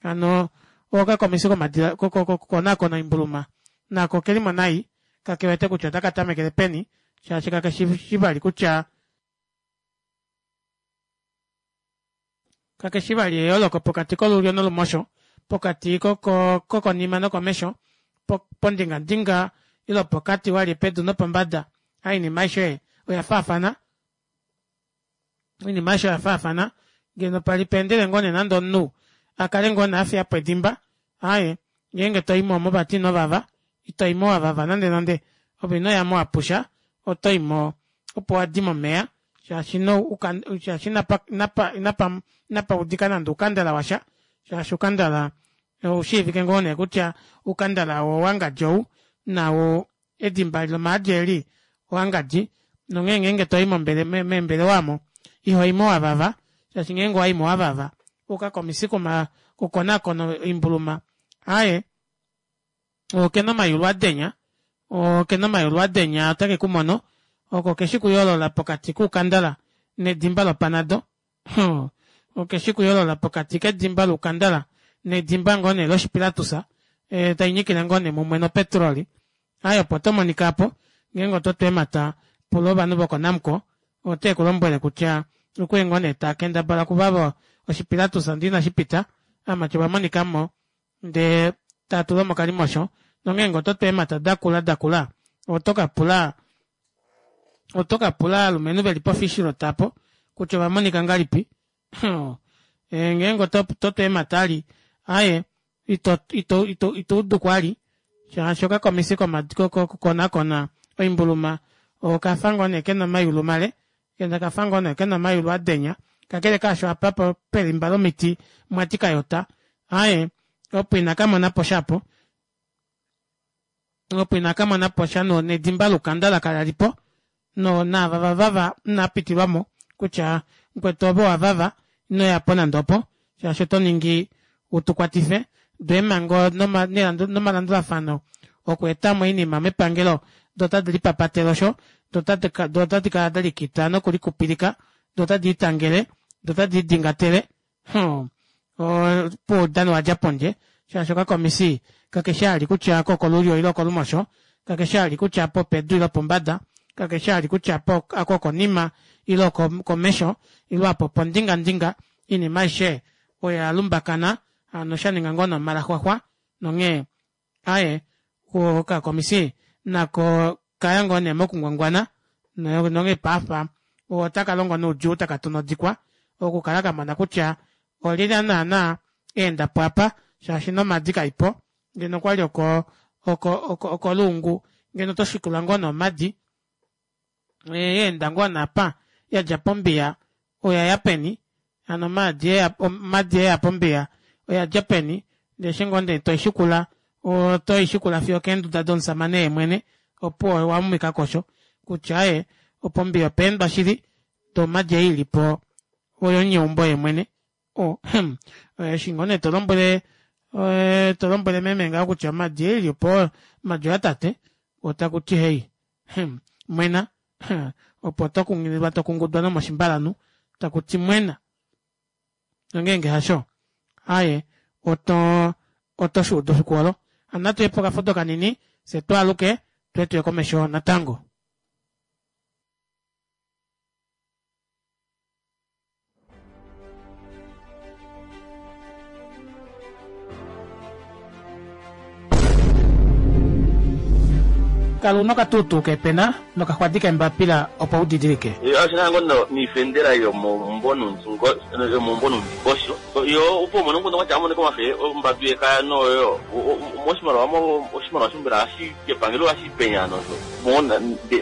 hano okakomisi kokukonaakona oimbuluma nako okelimo nai kakewete kutya ota katamekele peni shaashi kakeshi vali kutya kakeshi vali eyooloko pokati kolulyo nolumosho pokati kokonima nokomesho pondingandinga ile opokati walye pedu nopombada oinima aishe oyafaafana oinima aishe oyafaafana ngeno pali paendele ngoo nee nande omunhu akale ngoo nee afiyapo edimba aaye ngeenge toimo omo vati inovava itoimo wavava nande nande ove inoyamo wapusha otoimo opo wadi momeva shaashi shaashi inapa inapa inapaudika nande oukandala washa shaashi oukandala oushiivike ngoo nee kutya oukandala owangadji ou nau edimba lomaadi eli owangadji nonghee ngeenge toi meembelewa aamo ihoimo wavava shaashi ngeenge owaimo wavava okakomisi kokukonaakona oimbuluma aaye okena omayulu adenya okena omayulu adenya ota kekumono oko keshi okuyoolola pokati koukandala nedimba lopanado okeshi okuyoolola pokati kedimba loukandala nedimba ngoo nee loshipilatus tainyikile ngoo nee mumwe nopetroli aaye opo tomonika aapo ngeenge ototu eemata pula ovanhu voko namcor otekulombwele kutya okwali ngoo nee taakendabala okuvava oshipilatus ndee inashipita ovamati ovamonikamo ndee taatula mokalimosho nongeenge ototu eemata dakula dakula otokapula otokapula ovalumenhu veli po fishrot aapo kutya ovamonika ngahelipi ngeenge ototu eemata vali aaye ito ito itouduko vali shaashi okakomisi kokukonaakona oimbuluma okafa ngoo nee kena omayulu male okafa ngoo nee kena omayulu adenya kakele kaasho apa pelimba lomiti mwati kayota aaye opo inakamonaposha aapo opo inakamonaposha nedimba loukandala kalalipo naava vavava inaapitilwamo kutya mukwetu ove owavava inoyapo nande opo Shaashi oto ningi utukwatife doo eemhango nomalandulafano okweetamo oinima mepangelo doo otadi lipapatele osho doo otadi kala delikita nokulikupilika doo otadi litangele doo otadi lidingatele hmm opuwo oudano owadja pondje shaashi okakomisi kakeshi vali kutya aka okolulyo ile okolumosho kakeshi vali kutya apa opedu ile opombada kakeshi vali kutya aka okonima ile okomesho ile apa opondingandinga oinima aishe oya lumbakana hano shaninga ngoo nee omalaxwaxwa nonghee aaye okakomisi nako okaya ngoo nee mokungwangwana nonghee paife otakalongo noudjuu takatu nodikwa okukala kamona kutya olyelye naana aendapo aapa shaashi nomadi kaipo ngeno okwali oko oko okoluungu ngeno otoshikula ngoo nee omadi yaenda ngoo nee apa yadja pombiya oyaya peni hano omadi eya pombiya oyadja peni ndee eshi ngoo nee toishikula otoishikula fiyo okeenduda domushamane yeemwene opuwo owamumikako osho kutya aaye opo pombiya opa endwa shili ndee omadi ei ilipo oyomunyeumbo yeemwene oh hmm eshi ngoo nee tolombwele tolombwele meme ngaho kutya omadi ei ilipo omadi oya tate takuti heyi hmm mwena opo tokunghililwa tokungudwa nomoshimbalanhu takuti mwena nongenge hasho aaye oto oto shuuda efiku olo hano natuye pokafudo kanini fyee twaaluke fyee tuye komesho natango. Kala una okatuutuu keepena nokaxwadi keembapila opo u didilike. Oshina ngoo noifendela yomeumbo nomundingosho yo opo umone omukundu watya amonike omafe ombadu yekaya noyo moshimaliwa oshimaliwa mbela epangelo ohashi penya nosho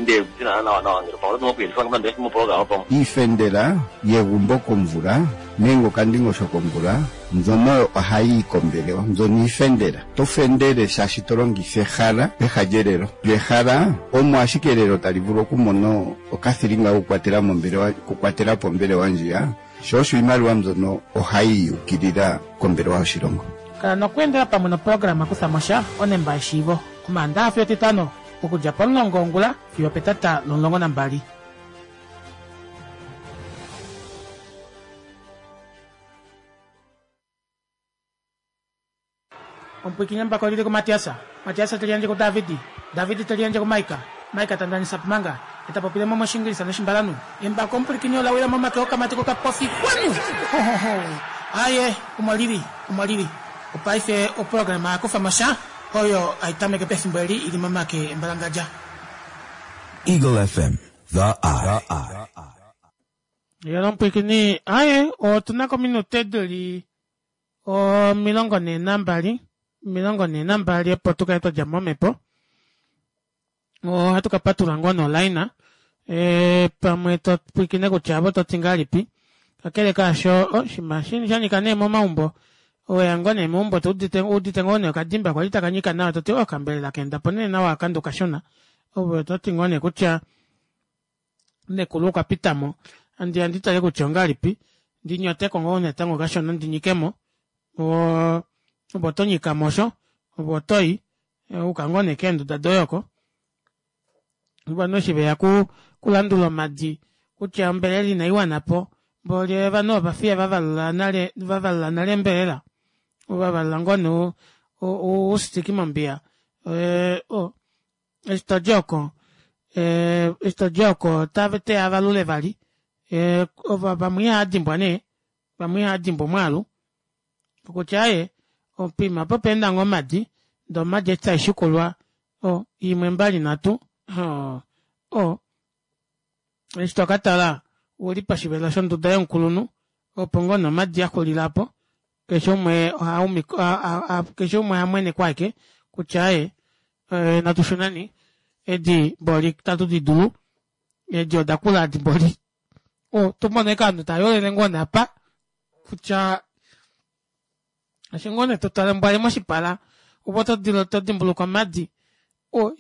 ndee nawa nawa ngeno pamwe oto okuyelifa nande moprograma pamwe Iifendela yegumbo komvula nenge okandingosho komvula mbyono ohayi yi kombelewa mbyono iifendela. To fendele shaashi to longitha ehala peha lyelelo. Lyo ehala omo ashike elelo tali vulu okumona okathilinga kokukwatela mombelewa okukwatela po ombelewa ndjiya, sho osho iimaliwa mbyono ohayi yi yukilila kombelewa yoshilongo. Kala nokweendela pamwe noprograma Kutha mo sha, onemba yeshiivo, Omaandaxa fiyo Etitano, okudja pomulongo wongula fiyo opetata lomulongo nambali. Omupwiikini embako olili kuMatias, Matias te liyandje kuDavidi, Davidi te liyandje kuMaika, Maika ta ndanisa Pumanga, ye ta popile mo mOshiingilisa nOshimbalanhu. Embako omupwilikini ola wila momake okamati kokapofi kwanu! Ho ho ho! Aaye, omo lili, omo lili. Opaife oprograma ya kufa mo sha, oyo hai tameke pefimbo eli i li momake embalangadja. Eagle F M, The Eye. Yela omupwilikini, aaye, otu na ko ominute di li omilongo nhee nambali, omilongo nhee nambali opo tu kale twa dja mo momhepo. Ohatu ka patulula ngoo nolaina e, pamwe to pwilikine kutya avo to ti ngahelipi. Kakele kaasho oshinima sha nyika nee momaumbo, oweya ngoo nee meumbo to udite udite ngoo nee okadimba kwali taka nyika nawa to ti oh okambelela kaenda po nee nawa aka ndokashona. Ove oto ti ngoo nee kutya nekulu okwa pita mo, andiya ndi tale kutya ongahelipi ndi nyoteko ngoo natango kashona ndi nyike mo. Ove oto nyikamo osho, ove otoyi uka ngoo nee keenduda doye oko. Ovanhu eshi veya kulandula omadi kutya ombelela inaiwana po mboli ovanhu ovafiya vavalula nale vavalula nale ombelela vavalula ngoo nee oustiki mombiya eshi todi oko eshi todi oko oteya avalule vali vamwe ihava dimbwa nee vamwe ihava dimbwa omwaalu okutya aaye poima apa opa enda ngoo omadi ndee omadi eshi taishikulwa o imwe mbali nhatu o eshi tokatala ouli poshivelo shonduda yomukulunhu opo ngoo nee omadi axulila aapo keshe umwe keshe umwe ohamwenekwa ashike kutya aaye natu shuneni edi mboli itatu didulu edi odakula edi mboli otomona ashike ovanhu tayolele ngoo nee apa kutya eshi ngoo nee totale mbwali moshipala ove oto dimbuluka omadi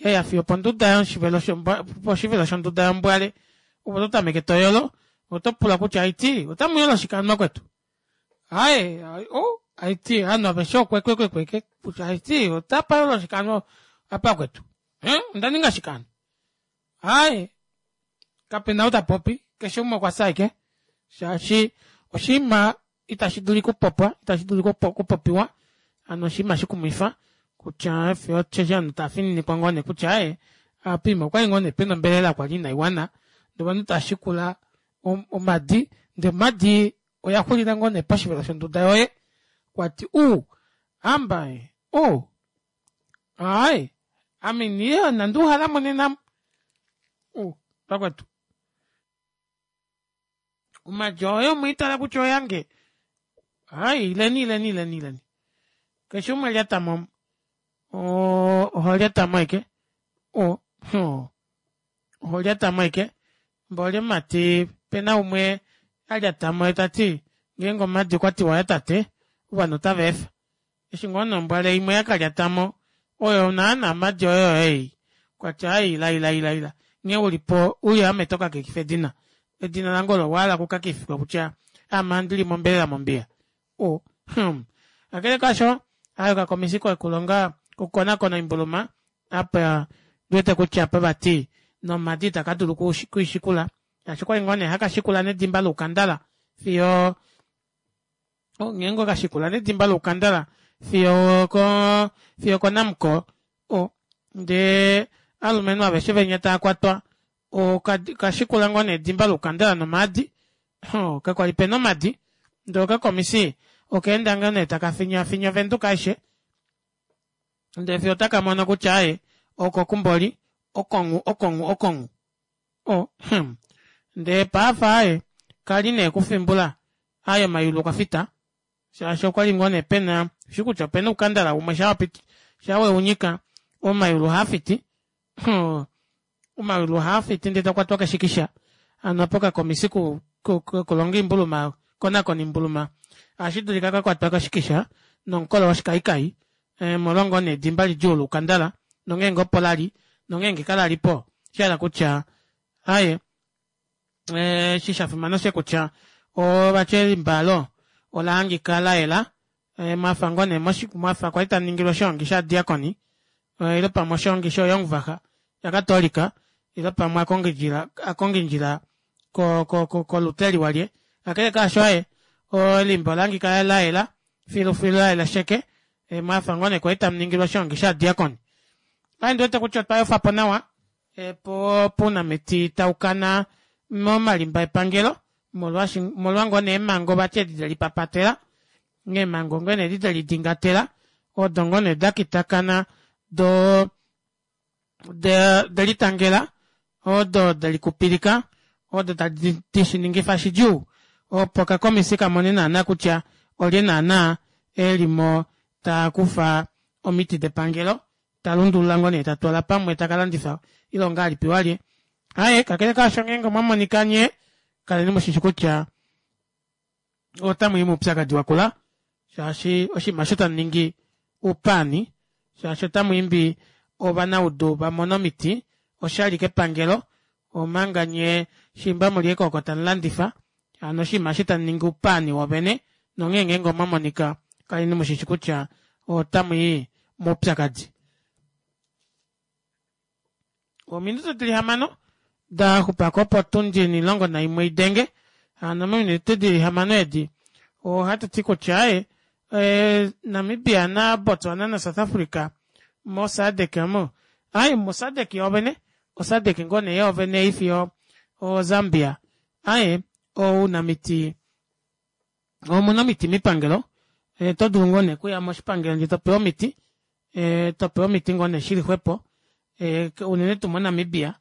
yaya fiyo oponduda yoshivelo poshivelo shonduda yombwale ove oto tameke toyolo otopula kutya haiti otamuyolo shike hano vakwetu Aaye o haiti ovanhu aveshe okwekwekweke kutya haiti otapa shike hano apa vakwetu ondaninga shike hano aaye kapena ou tapopi keshe umwe okwafya ashike shaashi oshiima ita shidulu okupopwa ita shidulu okupopiwa hano oshiima shikumwifa kutya fiyo osheshi ovanhu tavafininikwa ngoo nee kutya aaye apa poima okwali ngoo nee pena ombelela kwali inaiwana ndee ovanhu tavashikula omadi ndee omadi oyaxulila ngoo nee poshivelo shonduda yoye kwati uu hamba ee uu aaye ame inanduuhalamo nena amu uu vakwetu omadi oyo mweitala kutya oyange aaye ileni ileni ileni ileni keshe umwe lyatamo omu oo oholyatamo ashike oo oholyatamo ashike mboli omumati opena umwe alyatamo yeetati ngeenge omadi okwatiwa oyatate ovanhu otavaefa eshi ngoo nee ombwale imwe yakalyatamo oyo naana omadi oyoyo ei kwati aaye ila ila ila ila nghee ulipo uye ame tokakekifa edina edina lange olo owahala okukakekifwa kutya aame handili ombelela mombiya oo hmm kakele kaasho aaye okakomisi kokulonga kokukonaakona oimbuluma apa ondiwete kutya apa vati nomadi itakadulu okwiishikula shaashi okwali ngoo nee hakashikula nedimba loukandala fiyo ngeenge okashikula nedimba loukandala fiyo okoo fiyo oko namcor oo ndee ovalumenhu aveshe venya taakwatwa okashikula ngoo nee edimba loukandala nomaadi oo kakwali pena omadi ndee okakomisi okaenda ngoo nee takafinyaafinya ovenduka aishe ndee fiyo otakamono kutya aaye okoku mboli okonhu okonhu okonhu oo hmm ndee paife aaye kali nee kufimbula aaye omayulu okwafita shaashi okwali ngoo nee pena ushikutya opena oukandala umwe shaawapiti shaa weunyika omayulu ohaafiti omayulu ohaafiti ndee tokwatwa keshikisha hano aapa okakomisi kokulonga oimbuluma kokonakona oimbuluma ohashidulika kakwatwa koshikisha nomukolo woshikayikayi omolwa ngoo nee edimba lidjuu loukandala nongeenge opo lali nongeenge kalalipo oshahala kutya aaye eshi shafimana oshosho kutya vati elimba aalo olahangika layela mwafa ngoo nee mwafa kwali tamuningilwa oshoongi shovadiakoni ile pamwe oshoongi sho jongvacha yakatolika ile pamwe akongindjila ko- ko- koluteri walye kakele kaasho aaye elimba olahangika layela filufilu layela sheke mwafa ngoo nee kwali tamuningilwa oshoongi shovadiakoni aaye ondiwete kutya otwa yofapo nawa pounamiti taukana momalimba epangelo omolwa ngoo nee eemango vati edi delipapatela eemango ngoo nee edi delidingatela odo ngoo nee dakitakana doo odelitangela odo delikupilika odo tadi shiningifa shidjuu opo okakomisi kamone naana kutya olye naana elimo takufa omiti depangelo talundulula ngoo nee tatwala pamwe takalandifa ile ongahelipi walye aaye kakele kaasho ngeenge omwamonika nyee kaleni mushishi kutya otamwii moupyakadi wakula shaashi oshinima aasho tamuningi oupaani shaashi otamwiimbi ovanaudu vamone omiti oshali kepangelo omanga nyee shiimba muli ashike oko tamulandifa hano oshinima aasho tamuningi oupaani woovene nonghee ngeenge omwamonika kaleni mushishi kutya otamwii moupyakadi. Ominute dili hamano daxupako opo otundi onimulongo naimwe idenge hano mominute dili hamano edi ohatuti kutya aaye Namibia na botswana na south africa mo sadec omo aaye mo sadec yoovene o sadec ngoo nee yoovene haifi zambia aaye ounamiti omuna omiti moipangelo otodulu ngoo nee okuya moshipangelo ndee topewa omiti topewa omiti ngoo nee shili xwepo unene tuu mo namibia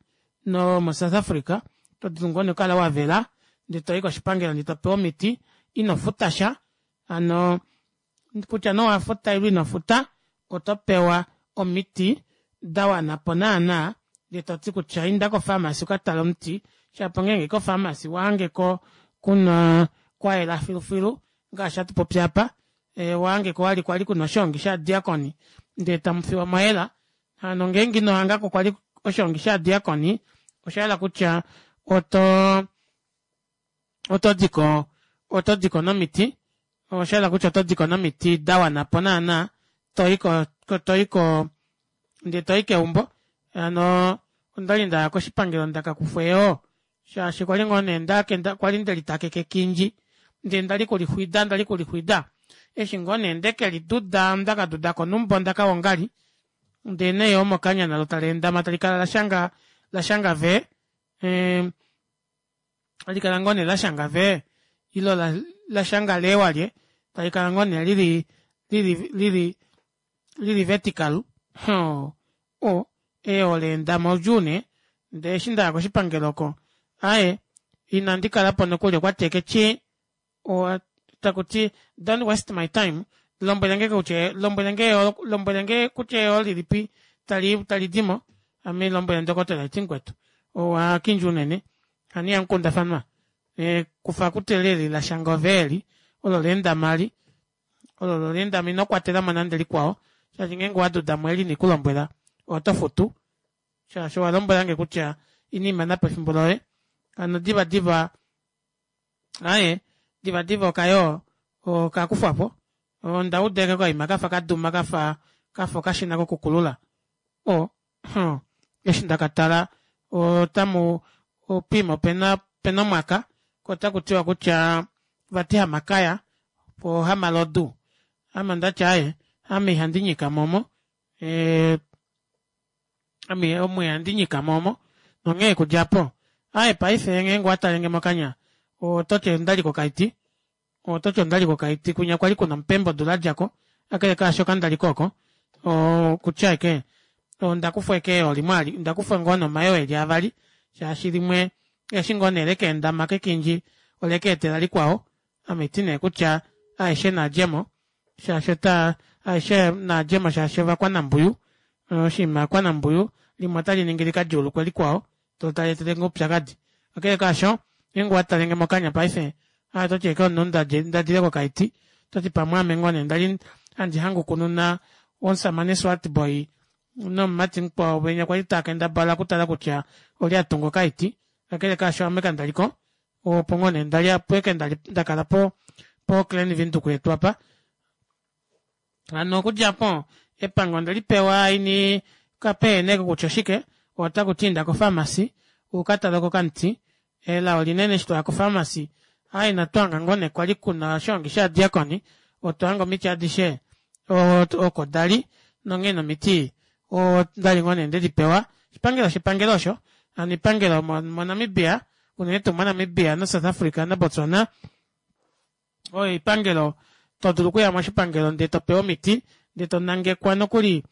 nomo south africa otodulu ngoo nee okukala wavela ndee toyi koshipangelo ndee topewa omiti inofutasha hano kutya nee owafuta ile inofuta otopewa omiti dawanapo naana ndee toti kutya inda ko pharmacy ukatale omuti shapo ngeenge ko pharmacy owahangeko kuna kwayela filufilu ngaashi hatupopi aapa owahangeko kwali kuna oshoongi shovadiakoni ndee tamufiwa mwayela hano ngeenge inohangako kwali oshoongi shovadiakoni oshahala kutya oto otodiko otodiko nomiti Oshahala kutya oto diko nomiti dawanapo naana toyi toyiko ndee toyi keumbo hano ondali ndaya koshipangelo ndakakufwa eyoo shaashi kwali ngoo nee kwali ndelitaakeka ekindji ndee ndali kulixwida ndali kulixwida eshi ngoo nee ndekeliduda ndakadudako numba ondaka wongali ndee neyoo mokanya nalo taleendama talikala lashanga lashanga vee ee talikala ngoo nee lashanga vee ile lashanga lee walye talikala ngoo nee lili lili lili vertical oo oo eyoo leendama oudjuu nee ndee eshi ndaya koshipangelo oko aaye ina ndikalapo nokuli okwati ashike tyii takuti don't waste my time lombwelenge kutya lombwelenge kutya eyoo lilipi talidimo ame hailombwele ndokotola haiti mukwetu owakindja unene hano ihamukundafanwa kufa kutya eli lashanga ovee eli olo leendama eli olo leendama inokwatelamo nande likwao shaashi ngeenge owadudamo eli inandikulombwela otofutu shaashi owalombwelange kutya ina ndimanapo efimbo loye hano diva diva aaye diva diva okayoo okakufwapo ondauda ashike okaima kafa kaduma kafa okashina kokukulula oo mhh eshi ndakatala otamu poima opena omwaka koo otakutiwa kutya vati hamakaya poo hamalodu ame ondati aaye ame ihandi nyikamo omo ee ame omo ihandi nyikamo omo nonghee okudja aapo aaye paife ngeenge owatalenge mokanya ototi ondali kokaiti ototi ondali kokaiti kwinya kwali kuna omupembe odula yadjako kakele kaasho kandaliko oko okutya ashike ondakufwa ashike eyoo limwe alike ondakufwa ngoo nee omayoo eli avali shaashi limwe eshi ngoo nee lekeendama kekindji olekeetela likwao ame haiti nee kutya aeshe naadjemo shaashi otaa aeshe naadjemo shaashi ovakwanambwiyu oshinima ovakwanambwiyu limwe otaliningi likadjuulukwe likwao loo taleetelenge oupyakadi kakele kaasho ngeenge owatalenge mokanya paife ototi ashike omunhu ndadile kokaiti ototi pamwe aame ngoo nee ndali handi hangukununa omushamane swartboy nomumati mukwao venya kwali taakendabala okutala kutya olye atunga okaiti kakele kaasho ame kandaliko opo ngoo nee ndali opo ashike ndakala po po klein windhoek yetu aapa hano okudja aapo epango ondelipewa ini kapehena ashike kutya oshike otakuti inda ko pharmacy ukataleko okamuti elao linene eshi twaya ko pharmacy aaye inatu hanga ngoo nee kwali kuna oshoongi shovadiakoni otwa hanga omiti adishe oko dali nonghee nee omiti ondali ngoo nee ndedipewa oshipangelo shepangelo osho hano oipangelo mo namibia unene tuu mo namibia na south africa na botswana oyo oipangelo todulu okuya moshipangelo ndee topewa omiti ndee tonangekwa nokuli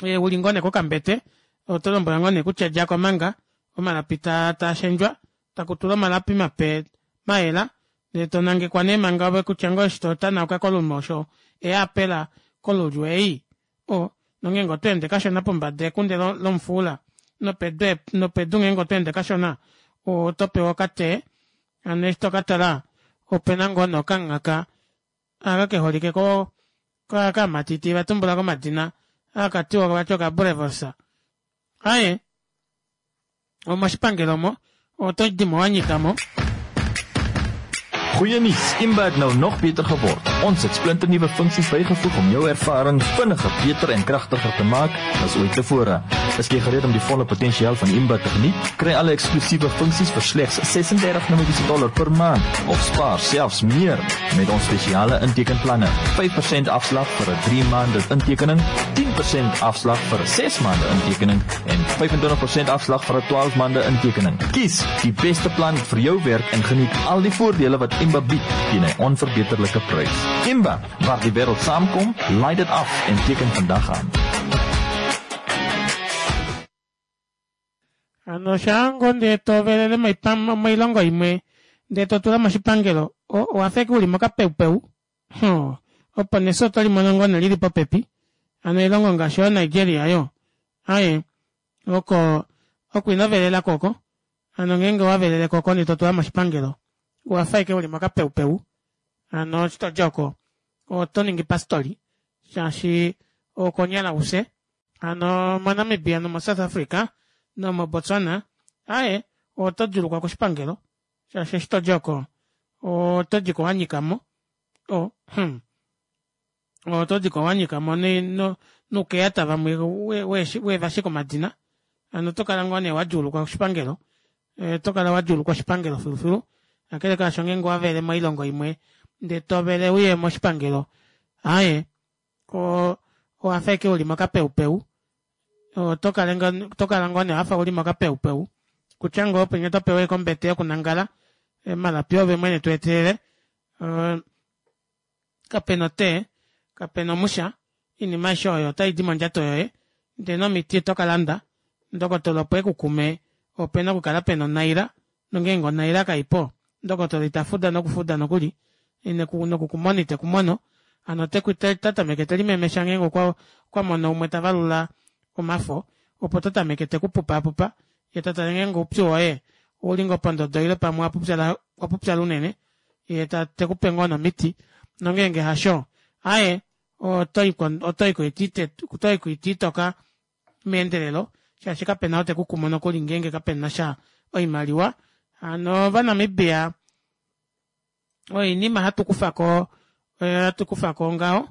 uli ngoo nee kokambete otolombwelwa ngoo nee kutya djako manga omalapi taashendjwa takutulwa omalapi mape mayela ndee tonangekwa nee manga ove kutya ngoo eshi totanauka kolumosho eepela kolulyo ei oo nongeenge otweende kashona pombada ekunde lomufuula nopedu nopedu ngeenge otweende kashona otopewa okatee hano eshi tokatala opena ngoo nee okamungaka aka keholike kaamati itiivatumbula komadina hakatiwa vati oka boerewors aaye omoshipangelo omo otodimo wanyikamo. Goeie nuus, Imba het nou nog beter geword. Ons het splinternuwe funksies bygevoeg om jou ervaring vinniger, beter en kragtiger te maak as ooit tevore. Is jy gereed om die volle potensiaal van Imba te geniet? Kry alle eksklusiewe funksies vir slegs ses-en-dertig Namibiese dollar per maand of spaar selfs meer met ons spesiale intekenplanne. vyf persent afslag vir 'n drie maande intekening, tien persent afslag vir 'n ses maande intekening en vyf-en-twintig persent afslag vir 'n twaalf maande intekening. Kies die beste plan vir jou werk en geniet al die voordele wat Imba bied teen 'n onverbeterlike prys. Imba, waar die wêreld saamkom, laai dit af en teken vandag aan. Hano shaango ndee tovelele moilongo imwe ndee totula moshipangelo owafa ashike uli mokapeupeu opo nefyo otolimono ngoo nee lili popepi hano oilongo ngaashi yoo nigeria aayo aaye oko oko inovelelako oko hano ngeenge owaveleleko oko ndee totula moshipangelo owafa ashike uli mokapeupeu hano eshi todi oko otoningi pastoli shaashi okonyala ufye hano mo namibia nomo south africa nomo botswana aaye oto djuulukwa koshipangelo shaashi eshi todi oko oto diko wanyikamo O hmm otodiko wanyikamo noukeyata vamwe weevashika omadina hano otokala ngoo nee wadjuulukwa oshipangelo otokala wadjuulukwa oshipangelo filufilu kakele kaasho ngeenge owavele moilongo imwe ndee tovele uye moshipangelo aaye oo owafa ashike uli mokapeupeu otokala ngoo nee wafa uli mokapeupeu kutya ngoo penya otopewa ashike ombete yokunangala omalapi oove mwene tweetelele kapena o tea kapena omusha oinima aishe oyo otaidi mondjato yoye ndee nomiti otokalanda ndokotola opo ekukume opena okukala pena onaila nongenge onaila kaipo ndokotola itafuda nokufuda nokuli nokukumona itekumono hano otatameke telimemesha ngeenge okwamono umwe tavalula omafo opo tatameke tekupupaapupa yee tatale ngeenge oupyu woye ouli ngoo pondodo ile pamwe owapupyala unene yee tekupe ngoo nee omiti nongenge hasho aaye otoyi koiti itoka meendelelo shaashi kapena ou tekukumu nokuli ngeenge kapenasha oimaliwa hano ovanamibia oinima hatukufako hatukufako ngaho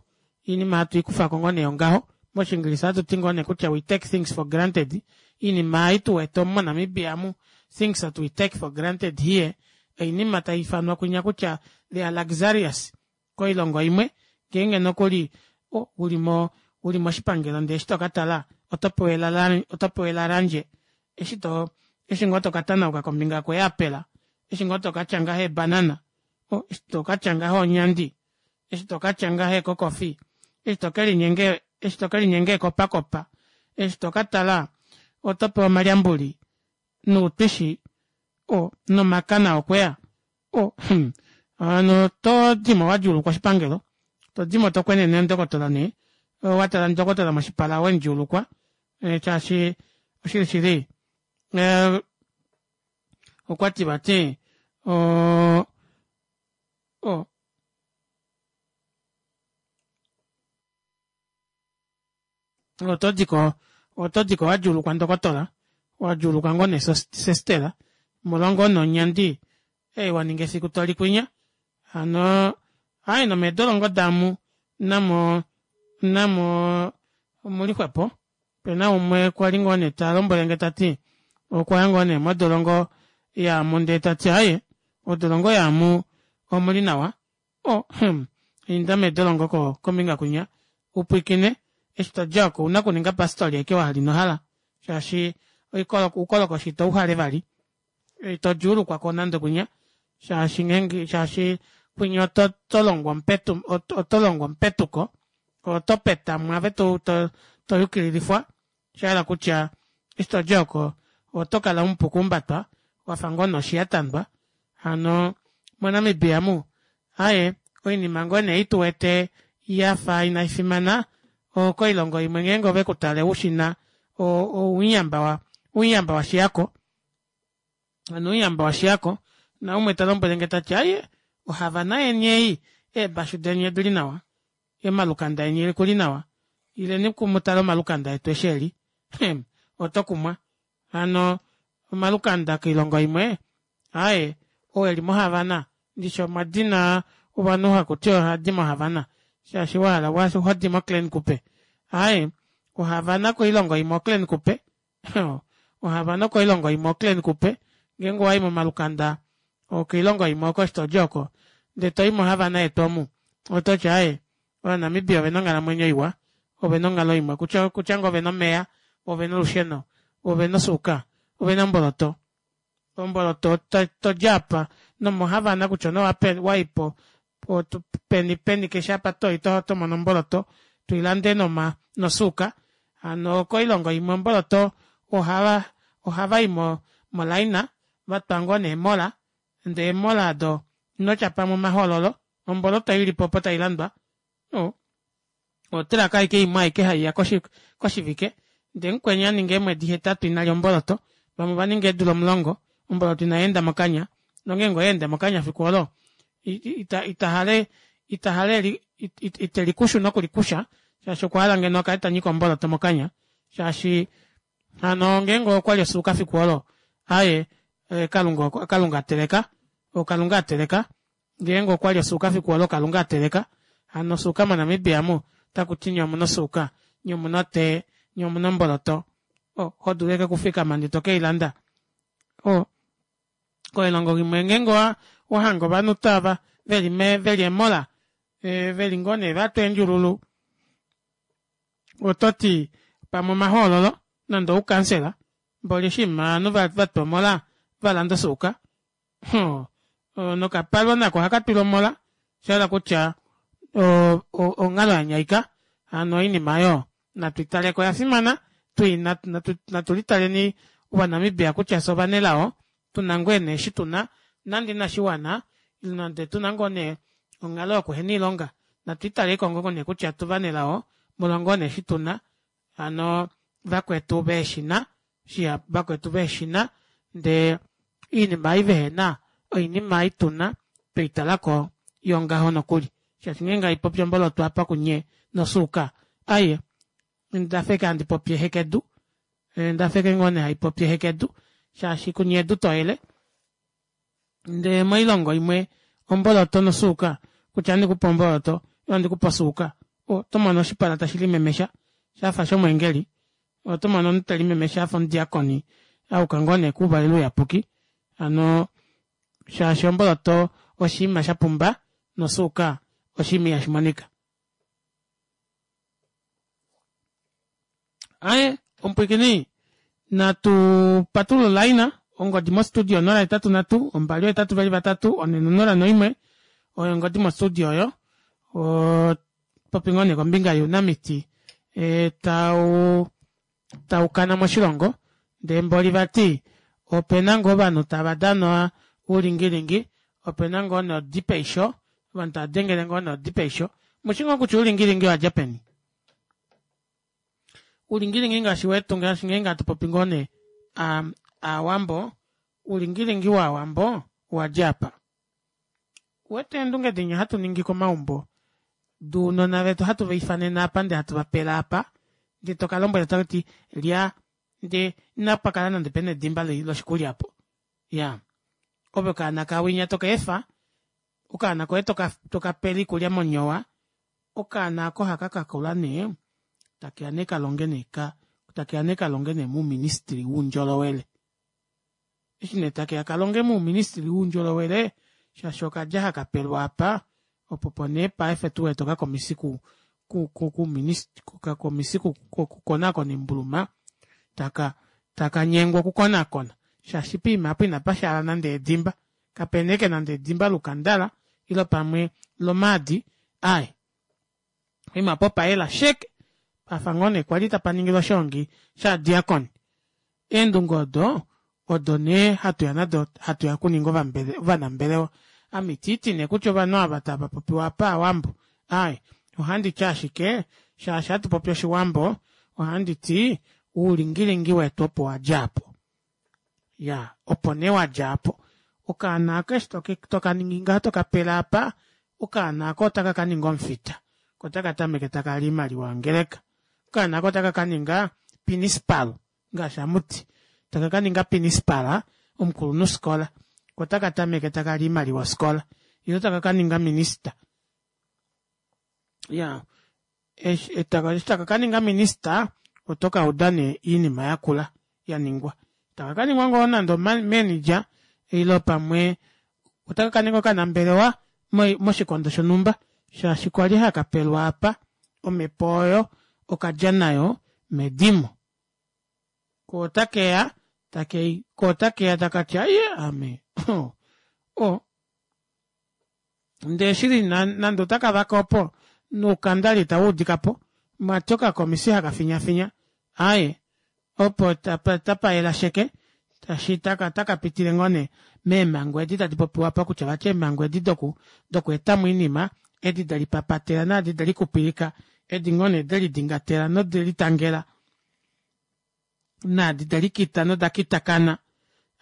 oinima hatu ikufako ngoo nee ngaho moshingilisa ohatuti ngoo nee kutya we take things for granted oinima ei tuwete omu mo namibia omu things that we take for granted here oinima taifanwa kwinya kutya they are luxurious koilongo imwe ngeenge nokuli ulimo uli moshipangelo ndee eshi tokatala otopewa elalandje eshi too eshi ngoo tokatanauka kombinga yee apple eshi ngoo tokatya ngaha ee banana eshi tokatya ngaha oonyandi eshi tokatya ngaha eecoffee eshi tokelinyenga eshi tokelinyenga eekopakopa eshi tokatala otopewa omalyambuli noutwishi oo nomakana okweya oo hmm hano otodimo wadjuulukwa oshipangelo todimo tokwenene ndokotola nee watala ndokotola moshipala wemudjuulukwa shaashi oshili shili okwati vati oo otodiko otodiko wadjuulukwa ndokotola wadjuulukwa ngoo nee sestela molwa ngoo nee onyandi ei waninga efiku toli kwinya hano aaye nomeedolongo daamu namo namo omuli xwepo opena umwe kwali ngoo nee talombwelenge tati okwaya ngoo nee modolongo yaamu ndee tati aaye odolongo yaamu omuli nawa oo hmm inda meedolongo kombinga kwinya upwiikine eshi todji aako ouna okuninga pastoli ashike wahala inohala shaashi oukolokoshi ito uhale vali ito djuulukwako nande kwinya shaashi ngeenge shaashi kwinya otolongwa otolongwa omupetuko oto petamwa ove toyukililifwa oshahala kutya eshi todi aako otokala umupu okuumbatwa wafa ngoo nee oshi yatandwa hano mo namibia omu aaye oinima ngoo nee ei tuwete yafa inaifimana okoilongo imwe ngeenge ovekutale ushina ouyamba ouyamba washiyako hano ouyamba washiyako naumwe talombwelenge tati aaye o havana yeni ei eebashu deni odili nawa omalukanda eni okuli nawa ileni mutale omalukanda etu eshi eli hmm otokumwa hano omalukanda koilongo imwe aaye oo eli mo havana ndishi omadina ovanhu hakuti ohaadi mo havana shaashi wahala hodi mo klein kupe aaye o havana koilongo imwe o klein kupe ohavana koilongo imwe o klein kupe ngeenge owayi momalukanda okoilongo imwe oko eshi todi oko ndee toyi mo havana yetu omu ototi aaye ova namibia ovena onghalamwenyo iwa ovena onghalo iwa kutya ngoo ovena omeva ovena olusheno ovena osuuka ovena omboloto omboloto todi aapa nomo havana kutya nee wayipo peni peni keshe apa toyi otomono omboloto toilande nosuuka hano koilongo imwe omboloto ohava ohavayi mo line vatwa ngoo nee eemola ndee eemola aado inotya pamwe omahoololo omboloto ilipo opo tailandwa o truck ashike imwe aike haiya koshivike ndee mukweni aninga eemwedi hetatu inalya omboloto vamwe ovaninga eedula omulongo omboloto inayeenda mokanya nongeenge oyaende mokanya efiku oolo ita itahale itelikushu nokulikusha shaashi okwahala ngeno akale tanyika omboloto mokanya shaashi hano ngeenge okwali osuuka efiku oolo aaye kalunga ateleka okalunga ateleka Ngeenge okwali osuuka fiku olo Kalunga ateleka, hano osuuka moNamibia omu otakuti nyee omuna osuuka, nyee omuna otee, nyee omuna omboloto, oh hodulu ashike okufikama ndee tokeilanda. Oh koilongo imwe ngeenge owahange ovanhu tava veli veli eemola veli ngoo nee vatwa eendjululu ototi pamwe omahoololo nande oukansela mboli oshiima ovanhu vatwa omola valanda osuuka hoo nokapalwa nako ohakatwilwa omola oshahala kutya oo onghalo yanyaika hano oinima aayo natwiitaleko oyafimana natulitaleni ova namibia kutya fyee ovanelao tuna ngoo nee eshi tuna nande inashiwana nande tuna ngoo nee onghalo yokuhena oilonga natu italeliko ngoo nee kutya fyee ovanelao molwa ngoo nee eshi tuna hano vakwetu veheshina shihapu vakwetu veheshina ndee oinima ei vehena oinima ei tuna tweitalako yongaho nokuli shaashi ngeenge haipopi omboloto aapa kunye nosuuka aaye ondafa ashike handi popi ehekedu ondafa ashike ngoo nee haipopi ehekedu shaashi kunye edu toyele ndee moilongo imwe omboloto nosuuka kutya ohandikupe omboloto ile ohandikupe osuuka otomono oshipala tashi limemesha shafa shomweengeli otomono omunhu telimemesha afa omudiakoni ayuka ngoo nee kouvalelo uyapuki hano shaashi omboloto oshiima shapumba nosuuka oshiima ihashimonika. Aaye omupwiikini natu patulule olaina ongodi mo studio onola hetatu nhatu ombali ohetatu veli vatatu onhe nonola noimwe oyo ongodi mo studio oyo oo atupopi ngoo nee kombinga younamiti tau taukana moshilongo ndee mboli vati opena ngoo ovanhu tava dana oulingilingi opena ngoo nodi peisho ovanhu tavadengele ngoo nee odi peisho omushi ngoo kutya oulingilingi owadja peni oulingilingi ngaashi wetu ngaashi ngeenge hatupopi ngoo nee aawambo oulingilingi waawambo owadja aapa ouwete eendunge dinya hatuningi komaumbo dounona vetu hatu vaifanene aapa ndee hatu vapele aapa ndee tokalombwela takati lya ndee inapakala nande pena edimba loshikulya aapo iyaa ove okaana kawinya tokeefa okaana koye tokapele oikulya monyowa okaana aako ohakakakula nee takeya nee kalonge nee takeya nee kalonge nee mouministry woundjolowele eshi nee takeya kalonge mouministry woundjolowele shaashi okalya haka pelwa aapa opo nee paife tuwete okakomisi ku okakomisi koku konaakona oimbuluma taka takanyengwa oku konaakona shaashi poima aapo inapashaala nande edimba kapena ashike nande edimba loukandala ile pamwe lomaadi aaye poima aapo opayela sheke pafa ngoo nee kwali tapa ningilwa oshoongi shovadiakoni eendunge odo odo nee hatuya nado hatuya okuninga ovanambelewa ame itiiti nee kutya ovanhu ava tavapopiwa aapa aawambo aaye ohanditi ashike shaashi ohatupopi oshiwambo ohanditi oulingilingi wetu opo wadja aapo iyaa opo nee wadja aapo okaana aako eshi tokaningi ngaha tokapele aapa okaana aako ota kakaninga omufita koo otakatameke takali oimaliwa yongeleka okaana aako ota kakaninga pinicipal ngaashi hamuti taka kaninga pinispala omukulunhufikola koo otakatameke takali oimaliwa yofikola ile otaka kaninga minister iyaa eshi taka kaninga minister otokauda nee oinima yakula yaningwa taka kaninga ngoo nande manager ile pamwe otaka kaninga okanambelewa moshikondo shonumba shaashi kwali hakapelwa aapa omepo oyo okadja nayo medimo koo otakeya koo otakeya takati aaye ame oo ndee oshili nande otakavake opo noukandali itawuudikapo vati okakomisi haka finyafinya aaye opo otapayela sheke shaashi otakapitile ngoo nee meemango edi tadi popiwa aapa kutya vati eemango edi dokweetamo oinima edi delipapatela naadi delikupilika edi ngoo nee delidingatela nodelitangela naadi delikita noda kitakana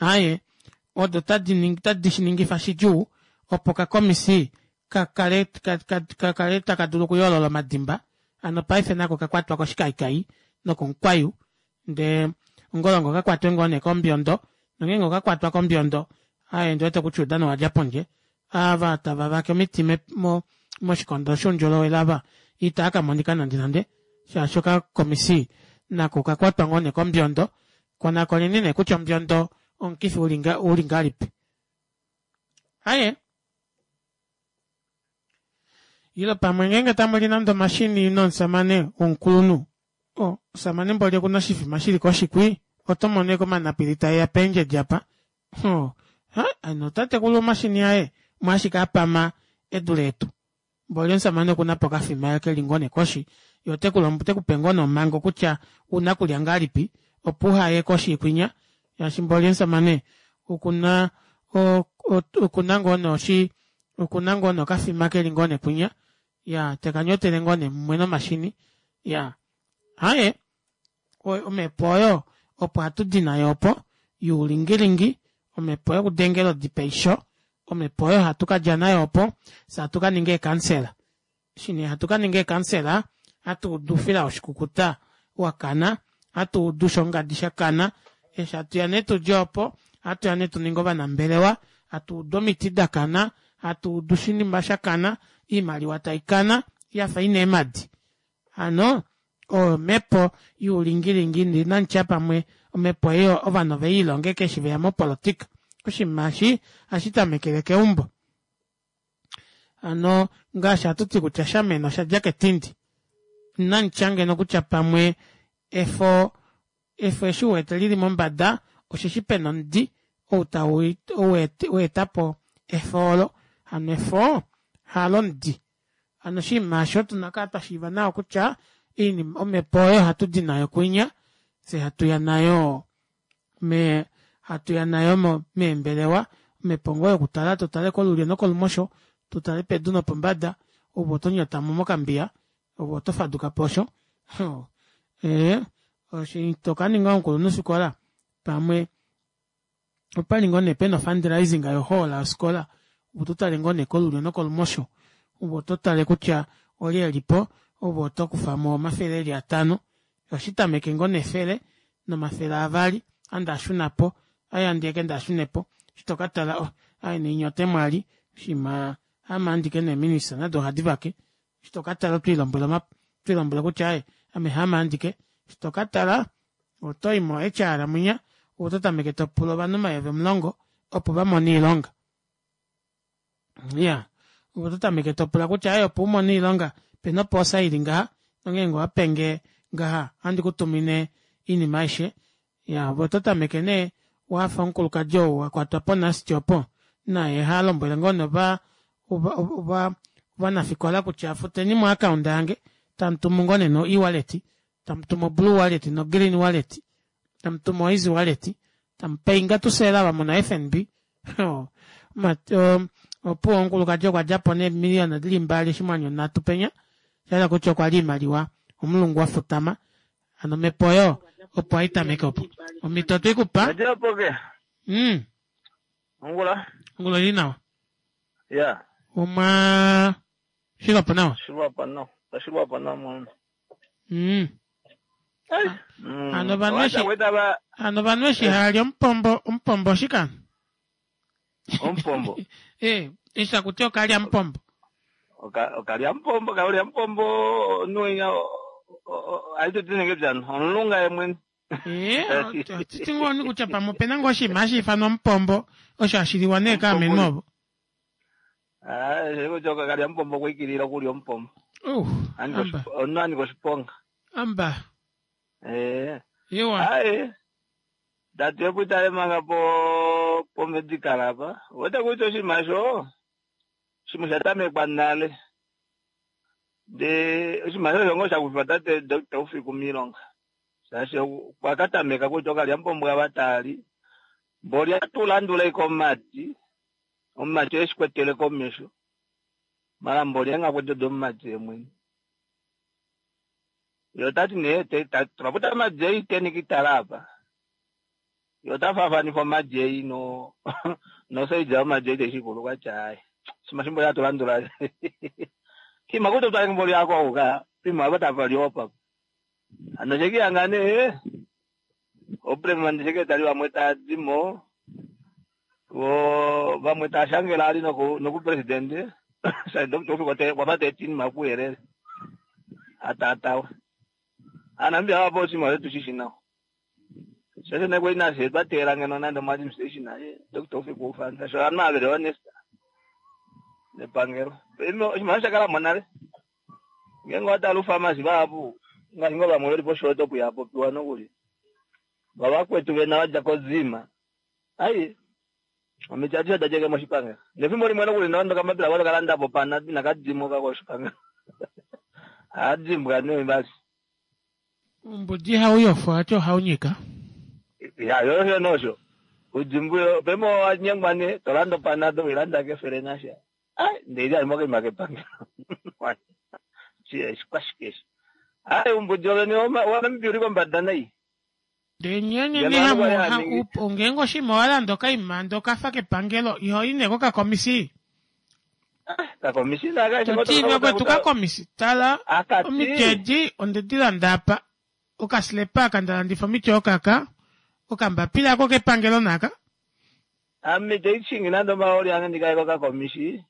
aaye odo tadi shiningifa shidjuu opo okakomisi kakale kakale taka dulu okuyoolola omadimba hano paife nako okakwatwa koshikayiikayi nokomukwayu ndee ongolonga okakwatwe ngoo nee kombiondo nongeenge okakwatwa kombiondo aaye ondiwete kutya oudano owadja pondje Ava tava vake omiti mo moshikondo shoundjolowele ava itaa kamonika nande nande shaashi okakomisi nako okakwatwa ngoo nee kombiondo konakoneni nee kutya ombiondo omukifi uli ngahelipi. Aaye ile pamwe ngeenge tamuli nande omashini nomusamane womukulunhu oo omusamane mboli okuna oshifima shili koshi kwii otomono ashike omanapili taeya peendjedi apa oo hano tatekulu omashini aye omwaashike apama edule etu mboli omushamane okunapo okafima keli ngoo neekoshi yee otekupe ngoo nee omhango kutya ouna okulya ngahelipi opo uhaye koshi kwinya shaashi mboli omushamane okuna okuna ngoo nee oshi okuna ngoo nee okafima keli ngoo neekwinya iyaa tekanyotele ngoo nee mumwe nomashini iyaa aaye omepo oyo opo hatudi nayo opo youlingilingi omepo yokudengela odi peisho omepo oyo hatu kadja nayo opo fyee hatu kaninga eekansela eshi nee hatu kaninga eekansela hatuudu oufila woshikukuta wakana hatuudu shongadi shakana eshi hatuya nee tudje opo ohatuya nee tuninge ovanambelewa hatuudu omiti dakana hatuudu oshinima shakana oimaliwa taikana yafa ina eemadi hano oyo omepo youlingilingi ndee inanditya pamwe omepo ei ovanhu oveliilonga ashike eshi veya mopolitika oshinima eshi ohashitamekele keumbo hano ngaashi hatuti kutya shamena oshadja ketindi inanditya ngeno kutya pamwe efo efo eshi uwete lili mombada osheshi pena omudi ou waetapo efo oolo hano efo halo omudi hano oshinima aasho otuna okukala twashiiva nawa kutya oinima omepo oyo ohatudi nayo kwinya fyee hatuya nayo mee hatuya nayo meembelewa omepo ngoo yokutala totale kolulyo nokolumosho totale pedu nopombada ove otonyatamo mokambiya ove oto fadukapo osho ee eshi tokaninga omukulunhufikola pamwe opali ngoo nee pena o fundraising yo hall yofikola ove ototale ngoo nee kolulyo nokolumosho ove ototale kutya olye elipo ove otokufamo omafele eli atano ohashitameke ngoo nefele nomafele avali ame ndaashunapo aaye handiyeke ndaashunepo eshi tokatala oh aaye nainya otemwali oshiima haame andike nee minister nado ohadi vake eshi tokatala otwiilombwele otwiilombwele kutya aaye ame haame andike eshi tokatala otoyi mo H R mwinya ove ototameke topula ovanhu omayovi omulongo opo vamone oilonga iyaa ove ototameke topula kutya aaye opo umone oilonga opena opoosa ili ngaha nongenge owapenge ngaha ohandi kutumine oinima aishe iyaa ove ototameke nee wafa omukulukadi ou akwatwa po nust opo naye halombwele ngoo nee ova ovanafikola kutya futeni mo account yange tamutumu ngoo nee no ewallet tamutumu o blue wallet no green wallet tamutumu o easy wallet tamupayinga tusela ava muna F N B opuwo omukulukadi okwadjapo neemiliyona dili mbali oshinghwanyu nhatu penya oshahala kutya okwalya oimaliwa omulungu wafutama hano omepo oyo opo haitameke opo omito otweikupa. Mm ongula. Ongula oili nawa. Ya. Omwa shilwapo nawa. Shilwapo nawa shilwapo nawa mwana. Mm hano ovanhu eshi hano ovanhu eshi hali omupombo omupombo oshika omupombo eh eshi akuti okalya mupombo okalya mupombo kalya mupombo nunya aitotinenge byano omulunga ye mwene. Titi ngoo kutya pamwe opena ngoo oshinima hashi ifanwa omupombo osho hashiliwa nee kaamenhu ovo. Kutya okalya mupombo okwiikilila okulya omupombo omunhu anika oshiponga. Amba. Ee. Iwa. Aye datu itale manga po pomedical apa wete kutya oshinima osho shimwe osha tamekwa nale ndee oshinima osho osho ngoo shakufiwa tate Doctor Ufiku miilonga shaashi okwa katameka kutya okalyamupombo ava taali mboli atulandula ashike omumati omumati eshikwetele komesho mala mboli engakwete omumati yemwene ye otati nee tulaputa omajeyi teni kitala apa ye ota faafanifa omajeyi no nosaidja yomajeyi teshikulu kwatya aye shima shimbo yatulandula kima kuti utwale mboli yako uka pima apa tapaliwa papa hano shekiyanga nee oprema ndisheke tali vamwe taadimo Vo vamwe tava shangele ali noku nokupresidente shaashi Doctor Ufik okwa fa teetinima kuyelele ataatawe. Aanamibia vapo oshinima osho tushi shi nawa. Shaashi nee kwali nafye twa teela ngeno nande omo-administration aye Doctor Ufik ufana shaashi ovanhu ava veli honest nepangelo. Oshimaliwa sha kala mo nale. Ngeenge owa tala oufamasi vahapu ngaashi ngoo vamwe veli poshoto opo iha popiwa nokuli. Vavakwetu vena vadja kozima. Ai omiti adishe oda djeke moshipangelo. Nefimbo limwe nokuli nondo kamapila kwali kalanda po pana inaka dimwa koshipangelo. Haadimbwa nee basi. Umbudi hauyofu ati ohaunyika. Ya yo nosho. Udimbu pemo wanyengwa ne tolanda panado wilanda kefele nasha. Ai ndeli ali moke makepangelo. Chi shikwashikeshi. Ai umbudi wene wa uli kombada nai. Ndenyene ni hamu ngeenge oshinima walanda okaima ndee okafa kepangelo iho i nee kokakomisi. Kakomisi naka Toti vakwetu kakomisi tala omiti edi ondedi landa apa okasilepa aka ndalandifa omiti okaka okambapila ako kepangelo naka. Ame teichingi nande omaoli ange ndikaye kokakomisi.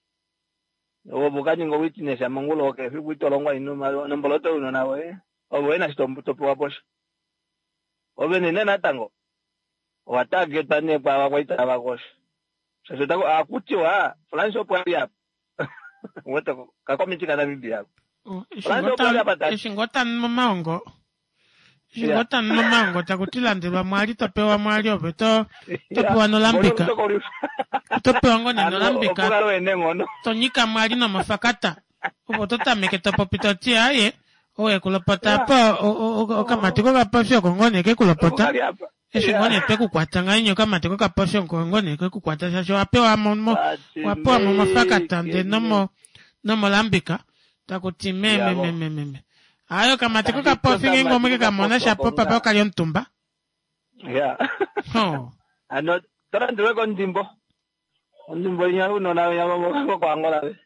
Opo kaninga witness mongula okefi kuitolongwa ino nomboloto unona woye. Ovo wena shitopewa posho. Ove nene natango owa targetwa nee kwaava kwali tava kosho. Shaashi otako akutiwa France opo ali apa. Wete kakomiti kaNamibia ako. France opo ali apa tati. Eshi ngoo tanu momaongo eshi ngoo tanu momaongo taku ti landelwa mwali topewa mwali ove to topewa nolambika. Otopewa ngoo nee nolambika. Tonyika mwali nomofakata. Opo totameke topopi toti aye owe kulopota apa okamati kokapofi oko ngoo nee kekulopota. Eshi ngoo nee twekukwata ngahenya okamati kokapofi oko ngoo nee kekukwata shaashi owapewa mo owapewa momafakata ndee nomo nomolambika takuti meme meme meme. Aye okamati kokapofi ngeenge omwe kekamona shapo papa okali omutumba. Ya. Ano tolandelwe kondimbo. Ondimbo inya unona inya koAngola ve.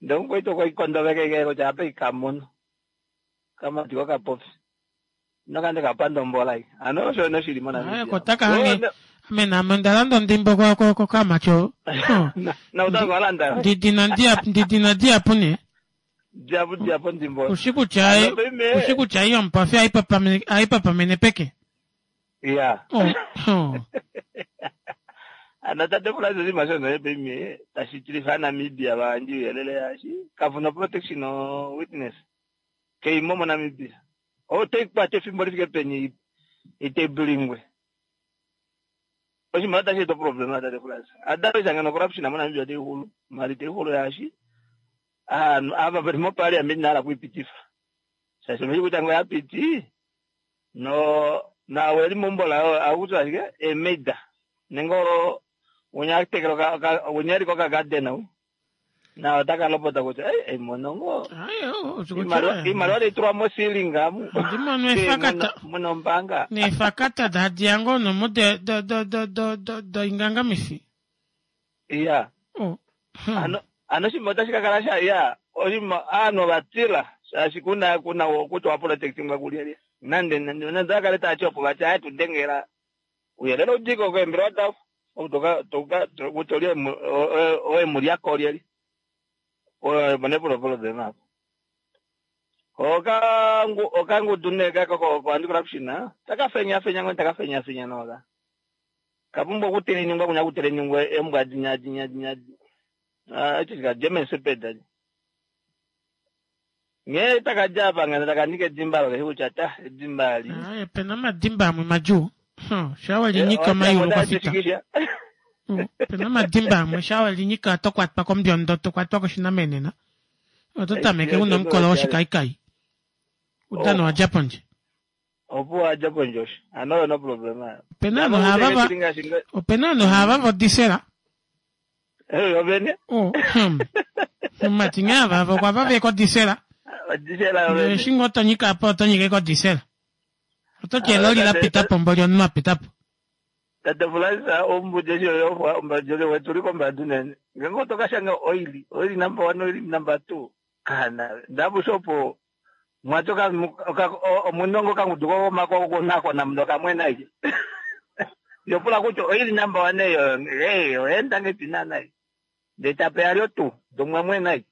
Ndee omukwetu okwa ikondoveke kutya apa ikamono. Kamati kokapofi. Nokande kapanda ombola ei. Ano osho noshili moNamibia. Aye kotaka hange ame naame ondalanda ondimbo kokamati oo. Na utaka walanda. Ndidina ndidina diapo nee. Diapo diapo ondimbo. Ushi kutya ushi kutya iyo omupofi aipapamene peke. Ya. Ano tate Francis oshinima shono pemi tashi tilifa Namibia vandji uyelele yaashi kavuna protection witness keimo moNamibia. Otaikwata efimbo lifike peni itebulingwe. Oshinima otashi eta problema tate Francis. Otherwise ngeno corruption moNamibia otaixulu. Mali taixulu yaashi aanhu ava veli moparliament inahala kuipitifa. Shaashi omeshi kutya ngee oyapiti no nawe eli meumbo layo akutiwa ashike emaida nenge unya tekela unya liko kagarden au na otaka lopota kutya ei emono ngoo iimaliwa taitulwa mo ceiling amu ndimono efakata muna ombaanga neefakata dadiya ngoo nomo do do do do do doingangamifi. Iya. Ano ano oshinima otashi kakala sha ya oshinima aanhu ovatila shaashi kuna kuna kutya waprotectingwa kulyelye nande nande nande akale taati opo vati aye tudengela uyelele udiko koembelewa davo kutya olye oemulyako olyelye oneporopolodema apo. Okangudu nee kako ko anti corruption takafenyafenya ngoo takafenyafenya noka. Kapumbwa okuteleningwa kunya kuteleningwa embwa dinya dinya dinya. Echi chika German Shepherd. Ngee takadja apa ngeno takanika edimba olo keshi kutya ta edimba ali. Aye pena omadimba amwe madjuu. Sha welinyika omayulu kwa fita. Pena omadimba amwe sha welinyika oto kwatwa kombyondo tokwatwa koshinamenena. Oto tameke una omukolo woshikaikai. Udano wadja pondje. Opo wadja pondje osho. Ano oyo no problem ayo. Opena ovanhu hava opena ovanhu hava vodisela. Eh ovene. Oh. Omumati nghee ava okwa vava kodisela. Odisela ovene. Eshi ngoo tonyika apa otonyike kodisela. Ototi eloli lapita po mboli omunhu apita po. Tate Francis ombudi eshi oyo ombadi wetuli kombadi unene. Ngeenge otokashanga oili, oili number one, oili number two. Kana ndabusha opo mwati omunongo okangudu kokomako okunakona muno kamwena ike. Yo pula kutya oili number one eyo eh oenda ngepi naanai. Ndee tapeya lyo tuu domwamwe nai.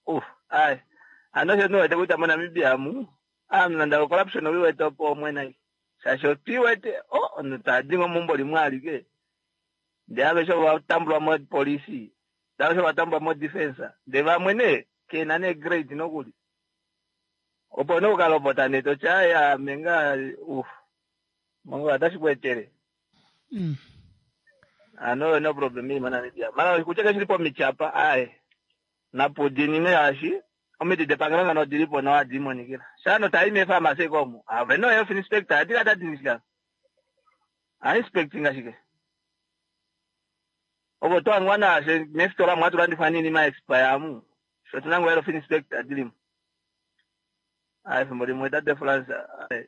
Uf, ai. Ano sho niwete kutya moNamibia mu aantu nande o corruption owi wete opo omwe nai. Shaashi otwi wete oh omunhu tadi ngo meumbo limwe alike. Ndee aveshe ova tambulwa mopolisi. Ndee aveshe ova tambulwa mo defense. Ndee vamwe nee kena nee grade nokuli. Opo nee ukalopota nee toti ai ame ngaa uf mongola otashi ku etele. Mm. Ano oyo nee problem ili moNamibia. Mara kutya keshili pomiti apa ai napudinine shaashi omiti depangelo ngano odilipo nawa hadi imonikila. Shaano tayi meefarmasi omo ave no health inspector adi kata dinishika. A inspecting ashike. Ovo twangwa nashe meefitola mwatu landifwa nini ma expire amu. Sho tunango health inspector dilimo. Ai efimbo limwe tate France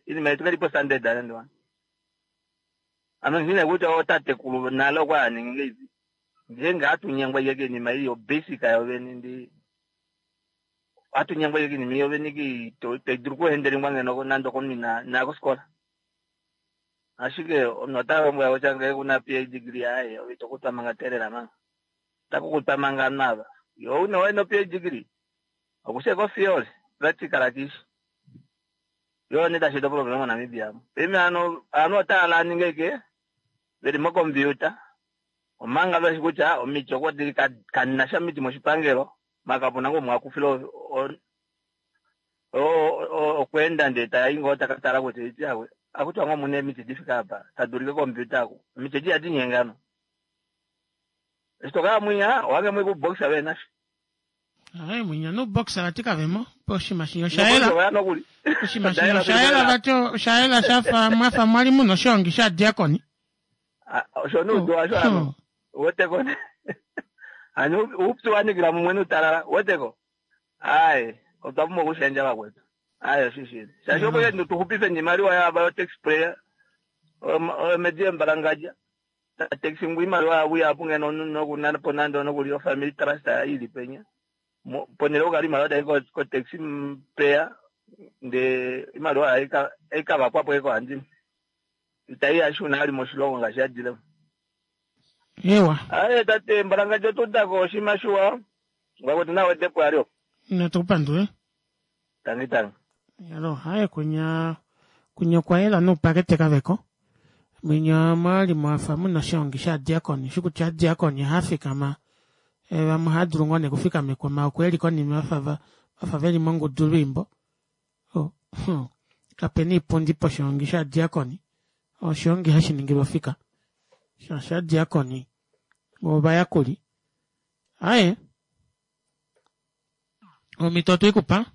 inima yetu kelipo standard ane ano ngine kutya otatekulu nale okwa aningi ngeipi. Ngeenge hatunyengwa ike kiinima iyo basic yovene ndi hatunyengwa ike kiinima iyo vene ki taidulu kuhendelingwa ngeno nande okomunhu ina inaya kosikola. Ashike omunhu ota lombwela kutya ngee kuna PhD degree aye ove ito kutwa manga teelela manga. Ota kukutwa manga ovanhu ava. Yo una wayi no PhD degree okushe ko theory practical kishi. Yo nee tashi eta problem moNamibia amu. Paife ano ovanhu otava laninga ike veli mocomputer omanga veshi kutya omiti oko dili kanasha omiti moshipangelo maka kapuna ngoo umwe akufile okweenda ndee tayi ngoo taka tala kutya iti awe akutiwa ngoo muna emiti difike apa tadulike computer aku omiti edi ihadi nyengano. Eshi tokala mwinya owange mwi kuboxa venasho. Ai mwinya nuboxa vati kavemo oshinima shinya oshayela Noboxa nokuli. Oshinima shinya oshayela vati oshayela shafa mwafa mwali muna oshihongi shadiakoni. Osho nuudu washo ano weteko ano uupyu wanikila mumwe nuutalala weteko ai otwa pumbwa okushendja vakwetu ai oshishili shaashi opo yetu tuxupife niimaliwa yava yo tax payer omedi yembalangadja taxi ngu imaliwa yavo ihapu ngeno nokunapo nande nokuli ofamily trust ili penya ponele okukala imaliwa tayi ko taxi payer ndee imaliwa aikavakwapo ekohandimwe itayi yashuna ali moshilongo ngaashi yadilemo. Ewa. Aye tate mbalangadja otudako oshinima shiwa ngwakwetu nawe depo yalyo. Natukupandule. Tangi tangi. Yalo haye kunya kunya okwayela nuupakete kaveko. Mwinya mwali mwafa muna oshihongi shadiakoni shikutya adiakoni ohafikama vamwe ohadulu ngoo nee okufikamekwa maoko okweli konima vafa vafa veli mongudu lwiimbo. Oh, kapena iipundi poshihongi shadiakoni. Oshihongi hashi ningilwa ofika. Shaashi adiakoni ovayakuli. Aye. Omhito otweikupa.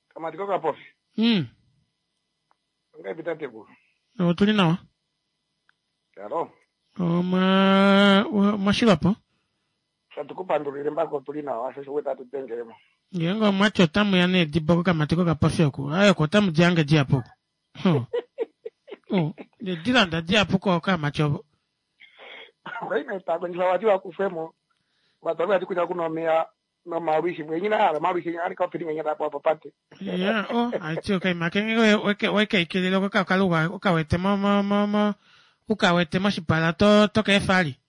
Kamati kokapofi. Mm. Ongaipi tatekulu? Otuli nawa. Alo. Omwa omwashilwapo. Tatukupandulile mbako otuli nawa sho osho tatu dengelemo. Ngeenge omwati otamuya needibo kokamati kokapofi oku. Aye oko otamu di hange dihapu oku. Oh. Oh, nedilanda dihapu kokamati ovo. Kwaime takondjifa vati vakufwemo. Vatu vati kutya kuna omeya nomalwishi mwenyina hala malwishi ali kapili mwenyina tapo papate. Ya, oh, aiti okaima kenge weke weke ikilile okakaluga okawete mo mo mo mo ukawete moshipala to to keefali.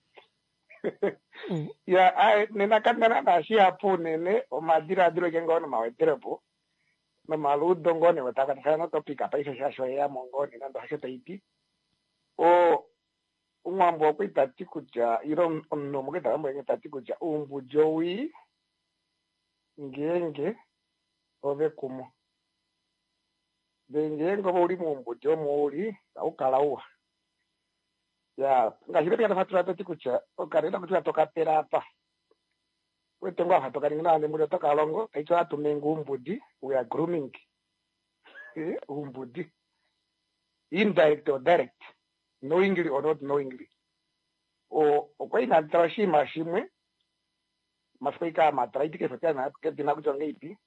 Ya, ai nena kandana na shihapu unene omadiladilo ke ngoo nomawederepo nomaludo ngoo ne wetakatakana notopika paife shaashi oyeyamo ngoo ne nande hasho taiti. O umwambo okwa tati kutya ilo omunhu omwe ta tati kutya uumbudi owii ngeenge ove kumo. Ndee ngeenge ove uli muumbudi omo uli aukala uwa. Ya, ngaashi lepi yatafatula tati kutya okalenda kutya tokapela apa. Wete ngoo afa tokaningi nawa nembuli otokalongo taiti ohatumenga uumbudi, we are grooming. Uumbudi. Indirect or direct. Knowingly or not knowingly. O okwa inatala oshinima shimwe mafiku ika matala iti kesho tena kedina kutya ongeipi.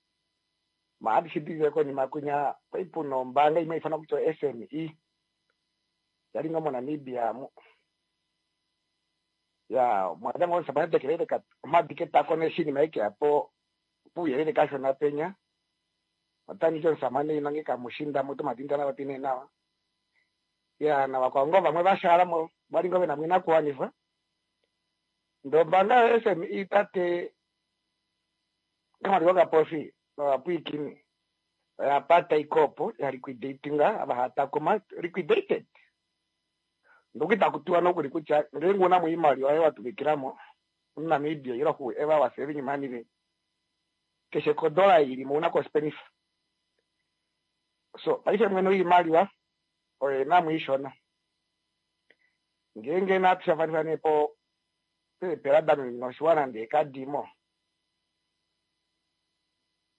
Maadi shidilile konima kunya kwai puna ombaanga imwe ifanwa kutya S M E. Yali ngoo moNamibia amu. Ya, mwada ngoo sabana tekelele ka omadi ketako neshinima eke apo puuyelele kashona penya. Otandi omusamane inange kamushinda mutu madindana vapine nawa. Ya navakwao ngoo vamwe vashalamo vali ngoo vena oinakuwanifwa. Ndee ombaanga yo S M E tate Kamati Kapofi novapwiikini oya pata ikopo ya liquidatinga ava hatakuma liquidated. Ndoku itaku tiwa nokuli kutya ngeenge una mo oimaliwa yoye watuvikilamo muNamibia ile whoever was saving money keshe kodola ilimo una kospenifa. So paife mwene oimaliwa oyena mo ishona. Ngeenge natushafanifwa nee po peepela danoshiwana ndee kadimo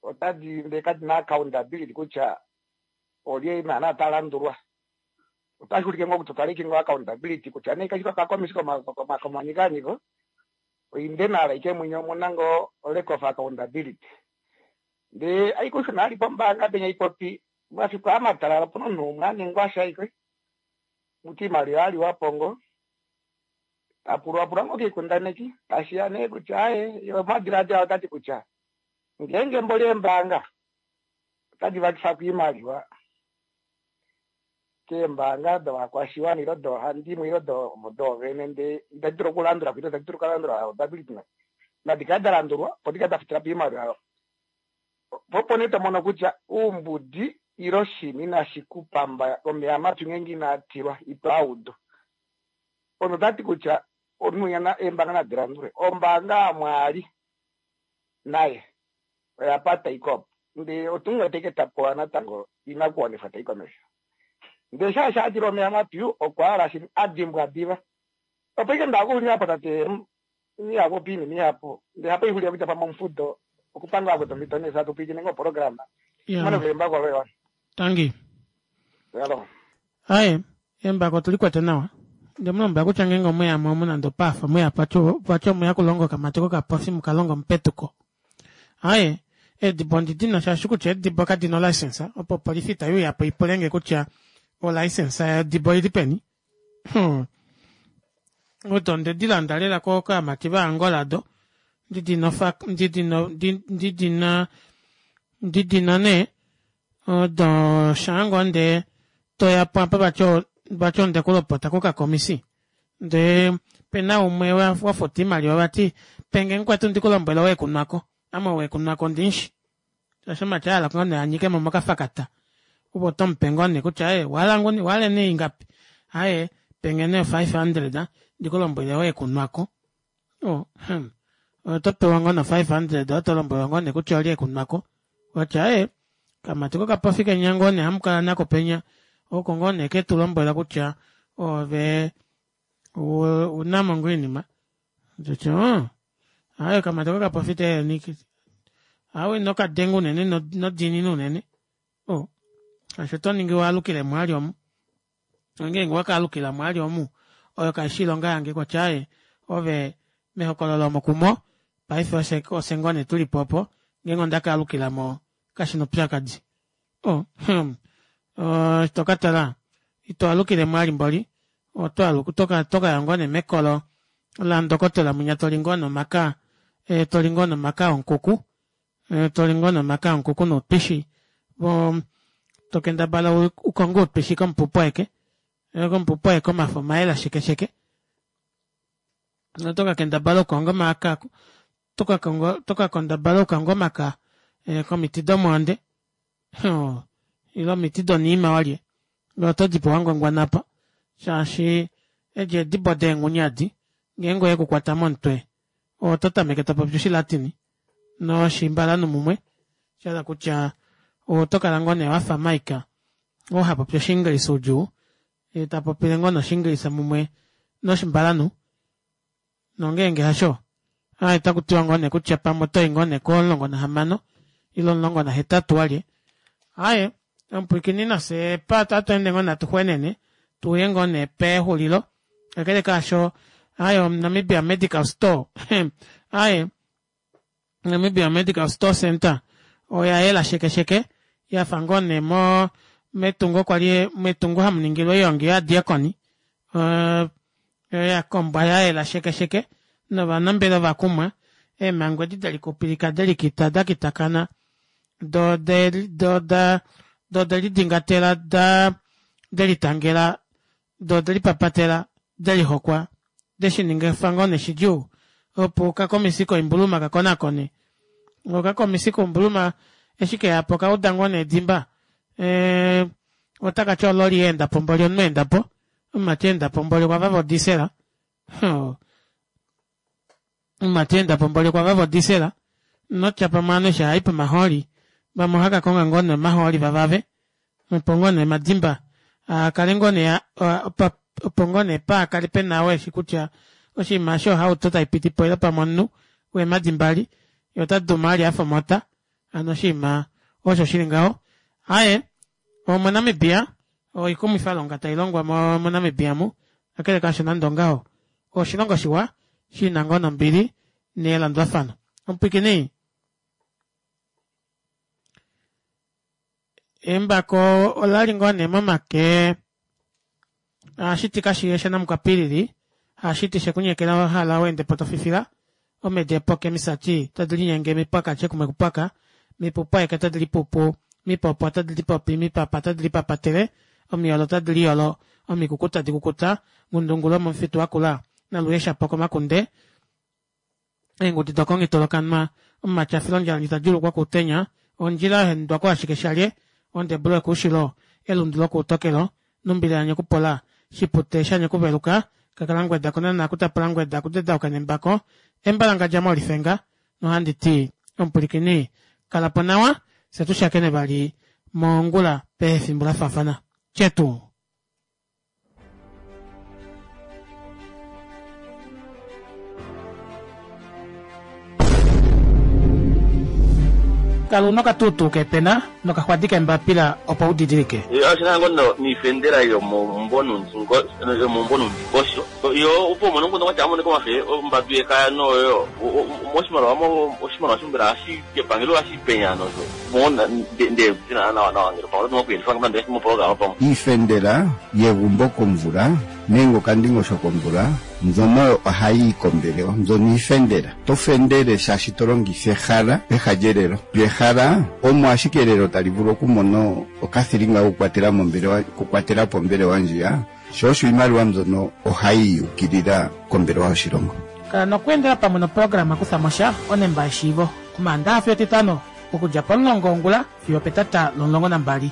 otadi ndee kadina accountability kutya olye naana talandulwa. Otashi ulike ngoo kutya otwaliki ngoo accountability kutya nee kashi okakomisi komanikanyiko oinde nala ike mwenye omuna ngoo lack of accountability. Ndee aikushuna ali pombaanga penya ipopi mafiku amatalala opuna omunhu umwe aningwa sha ike muti imaliwa aliwapo ngoo tapulwapulwa ngoo koikundaneki tashiya nee kutya aye omadilaadilo otati kutya ngeenge mboli eembaanga otadi vakifako oimaliwa keembaanga dovakwashiwana ile doohandimwe ile doovene ndee itadi dulu okulandula ile itadi dulu okulandula accountability nadi kale dalandulwa opo dikale dafutila po oimaliwa. Po opo nee tomono kutya oumbudi ile oshini inashi kupamba omeya mapyu ngeenge inaa tilwa ito audu. Ono tati kutya omunhu eembaanga nadi landulwe. Ombaanga yamwaali naye oya pata ikopo ndee otunga taike tapewa natango inakuwanifwa tai komesho. Ndee shaashi adila omeya mapyu okwa hala shi adimbwa diva. Opo ike ndakuxulila po tate mihapu oinima ihapu ndee hapo ixulile kutya pamwe omufudo okupanga akuta omhito nee hatu pwiikine ngoo oprograma. Mane kuembako loye. Tangi. Hello. Aye, embako tulikwete nawa. Ndemulombwela kutya ngeenge omweyamo omu nande opafa mweya vati omweya kulonga okamati kokapofi mukalonga omupetuko. Aye, eedibo ondidina shaashi kutya eedibo kadina olicense opo opolifi itaiuyapo ipulenge kutya olicense yedibo oili peni. Hmm. Odo ondedilanda lela kokamati vaAngola do ndidina ndidina ndidina ndidina nee odo shaango ndee toyapo apa vati vati ondekulopota kokakomisi ndee pena umwe wafuta oimaliwa vati penge mukwetu ndikulombwele wekunwako ame wekunwako ondimushi shaashi omati ahala ngoo nee anyikemo mokafakata opo otomupe ngoo nee kutya ee wahala nguni wahala nee ingapi aaye penge nee five hundred ndikulombwele wekunwako oh hmm otopewa ngoo no five hundred otolombwelwa ngoo nee kutya olye ekunwako watya ee kamati kokapofi kenya ngoo nee hamukala nako penya oko ngoo nee ketulombwela kutya ove unamo ngoo oinima nditi aaye kamati kokapofi te awe inokadenga unene nodiinina unene oh shaashi otoningi waalukile mwali omu ngeenge wakaalukila mwali omu oyo kaishi oilonga yange kutya aaye ove mehokololo omo kumo paife ofye ngoo nee tulipo opo ngeenge ondakaalukilamo kashina oupyakadi oh hmm tokatala ito alukile mwali mboli otokaya ngoo nee mekolo landokotola mwinya toli ngoo nomaka toli ngoo nomaka onkuku toli ngoo nomaka onkuku noutwishi tokendabala ukonge outwishi komupupu aeke komupupu aeke omafo omayela shekesheke otokakendabala okukonga omaka tokakendabala okukonga omaka komiti domwoonde ile omiti doniima walye otodipo wangwangwanapa shaashi edi eedibo deengunyadi ngeenge oyekukwata momutwe oto tameke topopi oshilatini noshimbalanu mumwe shahala kutya otokala ngoo nee wafa Mike oo hapopi oshiingilisa udjuu yee tapopile ngoo noshiingilisa mumwe noshimbalanu nongeenge hasho aaye otakutiwa ngoo nee kutya pamwe otoyi ngoo nee komulongo nahamano ile omulongo nahetatu walye. Aaye omupwiikini nafye otatu ngoo natu xwenene tuye ngoo nee pexulilo kakele kaasho aaye Namibia Medical Store aaye Namibia Medical Store Center oya yela shekesheke yafa ngoo nee mo metungo kwali metungo hamuningilwa oiongi yovadiakoni yakombwa yayela shekesheke novanambelewa vakumwa eemhango edi delikupilika delikita dakitakana do do do delidingatela da delitangela Doo odelipapatela, delihokwa, deshininga ngoo nee shidjuu opo okakomisi koimbuluma kakonakone. Okakomisi koimbuluma eshi keyapo okauda ngoo nee edimba ee otakati ololi yaendapo mboli omunhu aendapo omumati aendapo mboli okwavava o diesel oo omumati aendapo mboli okwavava o diesel notya pamwe ovanhu eshi haayi pomahooli vamwe ohaakakonga ngoo nee omahooli vavave opo ngoo nee omadimba akale ngoo nee opo ngoo nee paakale pena ou eshi kutya oshinima eshi ohauto taipitipo ile pamwe omunhu weemadi mbali yee otaduma vali afa omota hano oshinima osho shili ngaho. Aaye omo Namibia oikumwifalonga tailongwa mo Namibia omu kakele kaasho nande ongaho oshilongo shiwa shina ngoo nombili nelandulafano. Omupwiikini embako olali ngoo nee momake ohashiti kashiye shanamukwapilili hashiti shekunyekela wahala weendepo tofifila omedi epoke emisati tadi linyenge mipwaka shekumwe kupwaka mipupu aeke otadi lipupu mipopo otadi lipopi mipapa otadi lipapatele omiyolo otadi liyolo omikuku tadi kukuta ngundungula omomufitu wakula naluye shapo komakunde eengudi dokongitolokanwa omumati afila ondjala ndji tadjuulukwa kuutenya ondjila yahendwa kuashike shalye ondebulo yokoushilo elundu lokoutokelo numbila yanyekupola shipute shanyekuveluka kakalangweda kunana kutapula ngweda kudedauka nembako embalangadja molifenga nohanditi omupwilikini kalapo nawa fyee tushakene vali mongula pefimbo lafaafana tyetu. Kala una okatuutuu keepena nokaxwadi keembapila opo u didilike. Oshina ngo no niifendela yomomumbo nuundingosho yo opo umone omukundu kwatya amoneka omafe ombadu yekaya noyo moshimaliwa oshimaliwa mbela hashi epangelo ohashi penya nosho nde nawa nawa ngele pamwe oto okuyelifa nande moprograma pamwe Iifendela yegumbo komvula nenge okandingosho komvula mbyono ohayi yi kombelewa mbyono iifendela. To fendele shaashi to longitha ehala peha lyelelo. Lyo ehala omo ashike elelo tali vulu okumona okathilinga kokukwatela mombelewa okukwatela po ombelewa ndjiya, sho osho iimaliwa mbyono ohayi yi ukilila kombelewa yoshilongo. Kala nokweendela pamwe noprograma Kufa mo sha onemba yeshiivo Omaandaxa fiyo Etitano okudja pomulongo wongula fiyo opetata lomulongo nambali.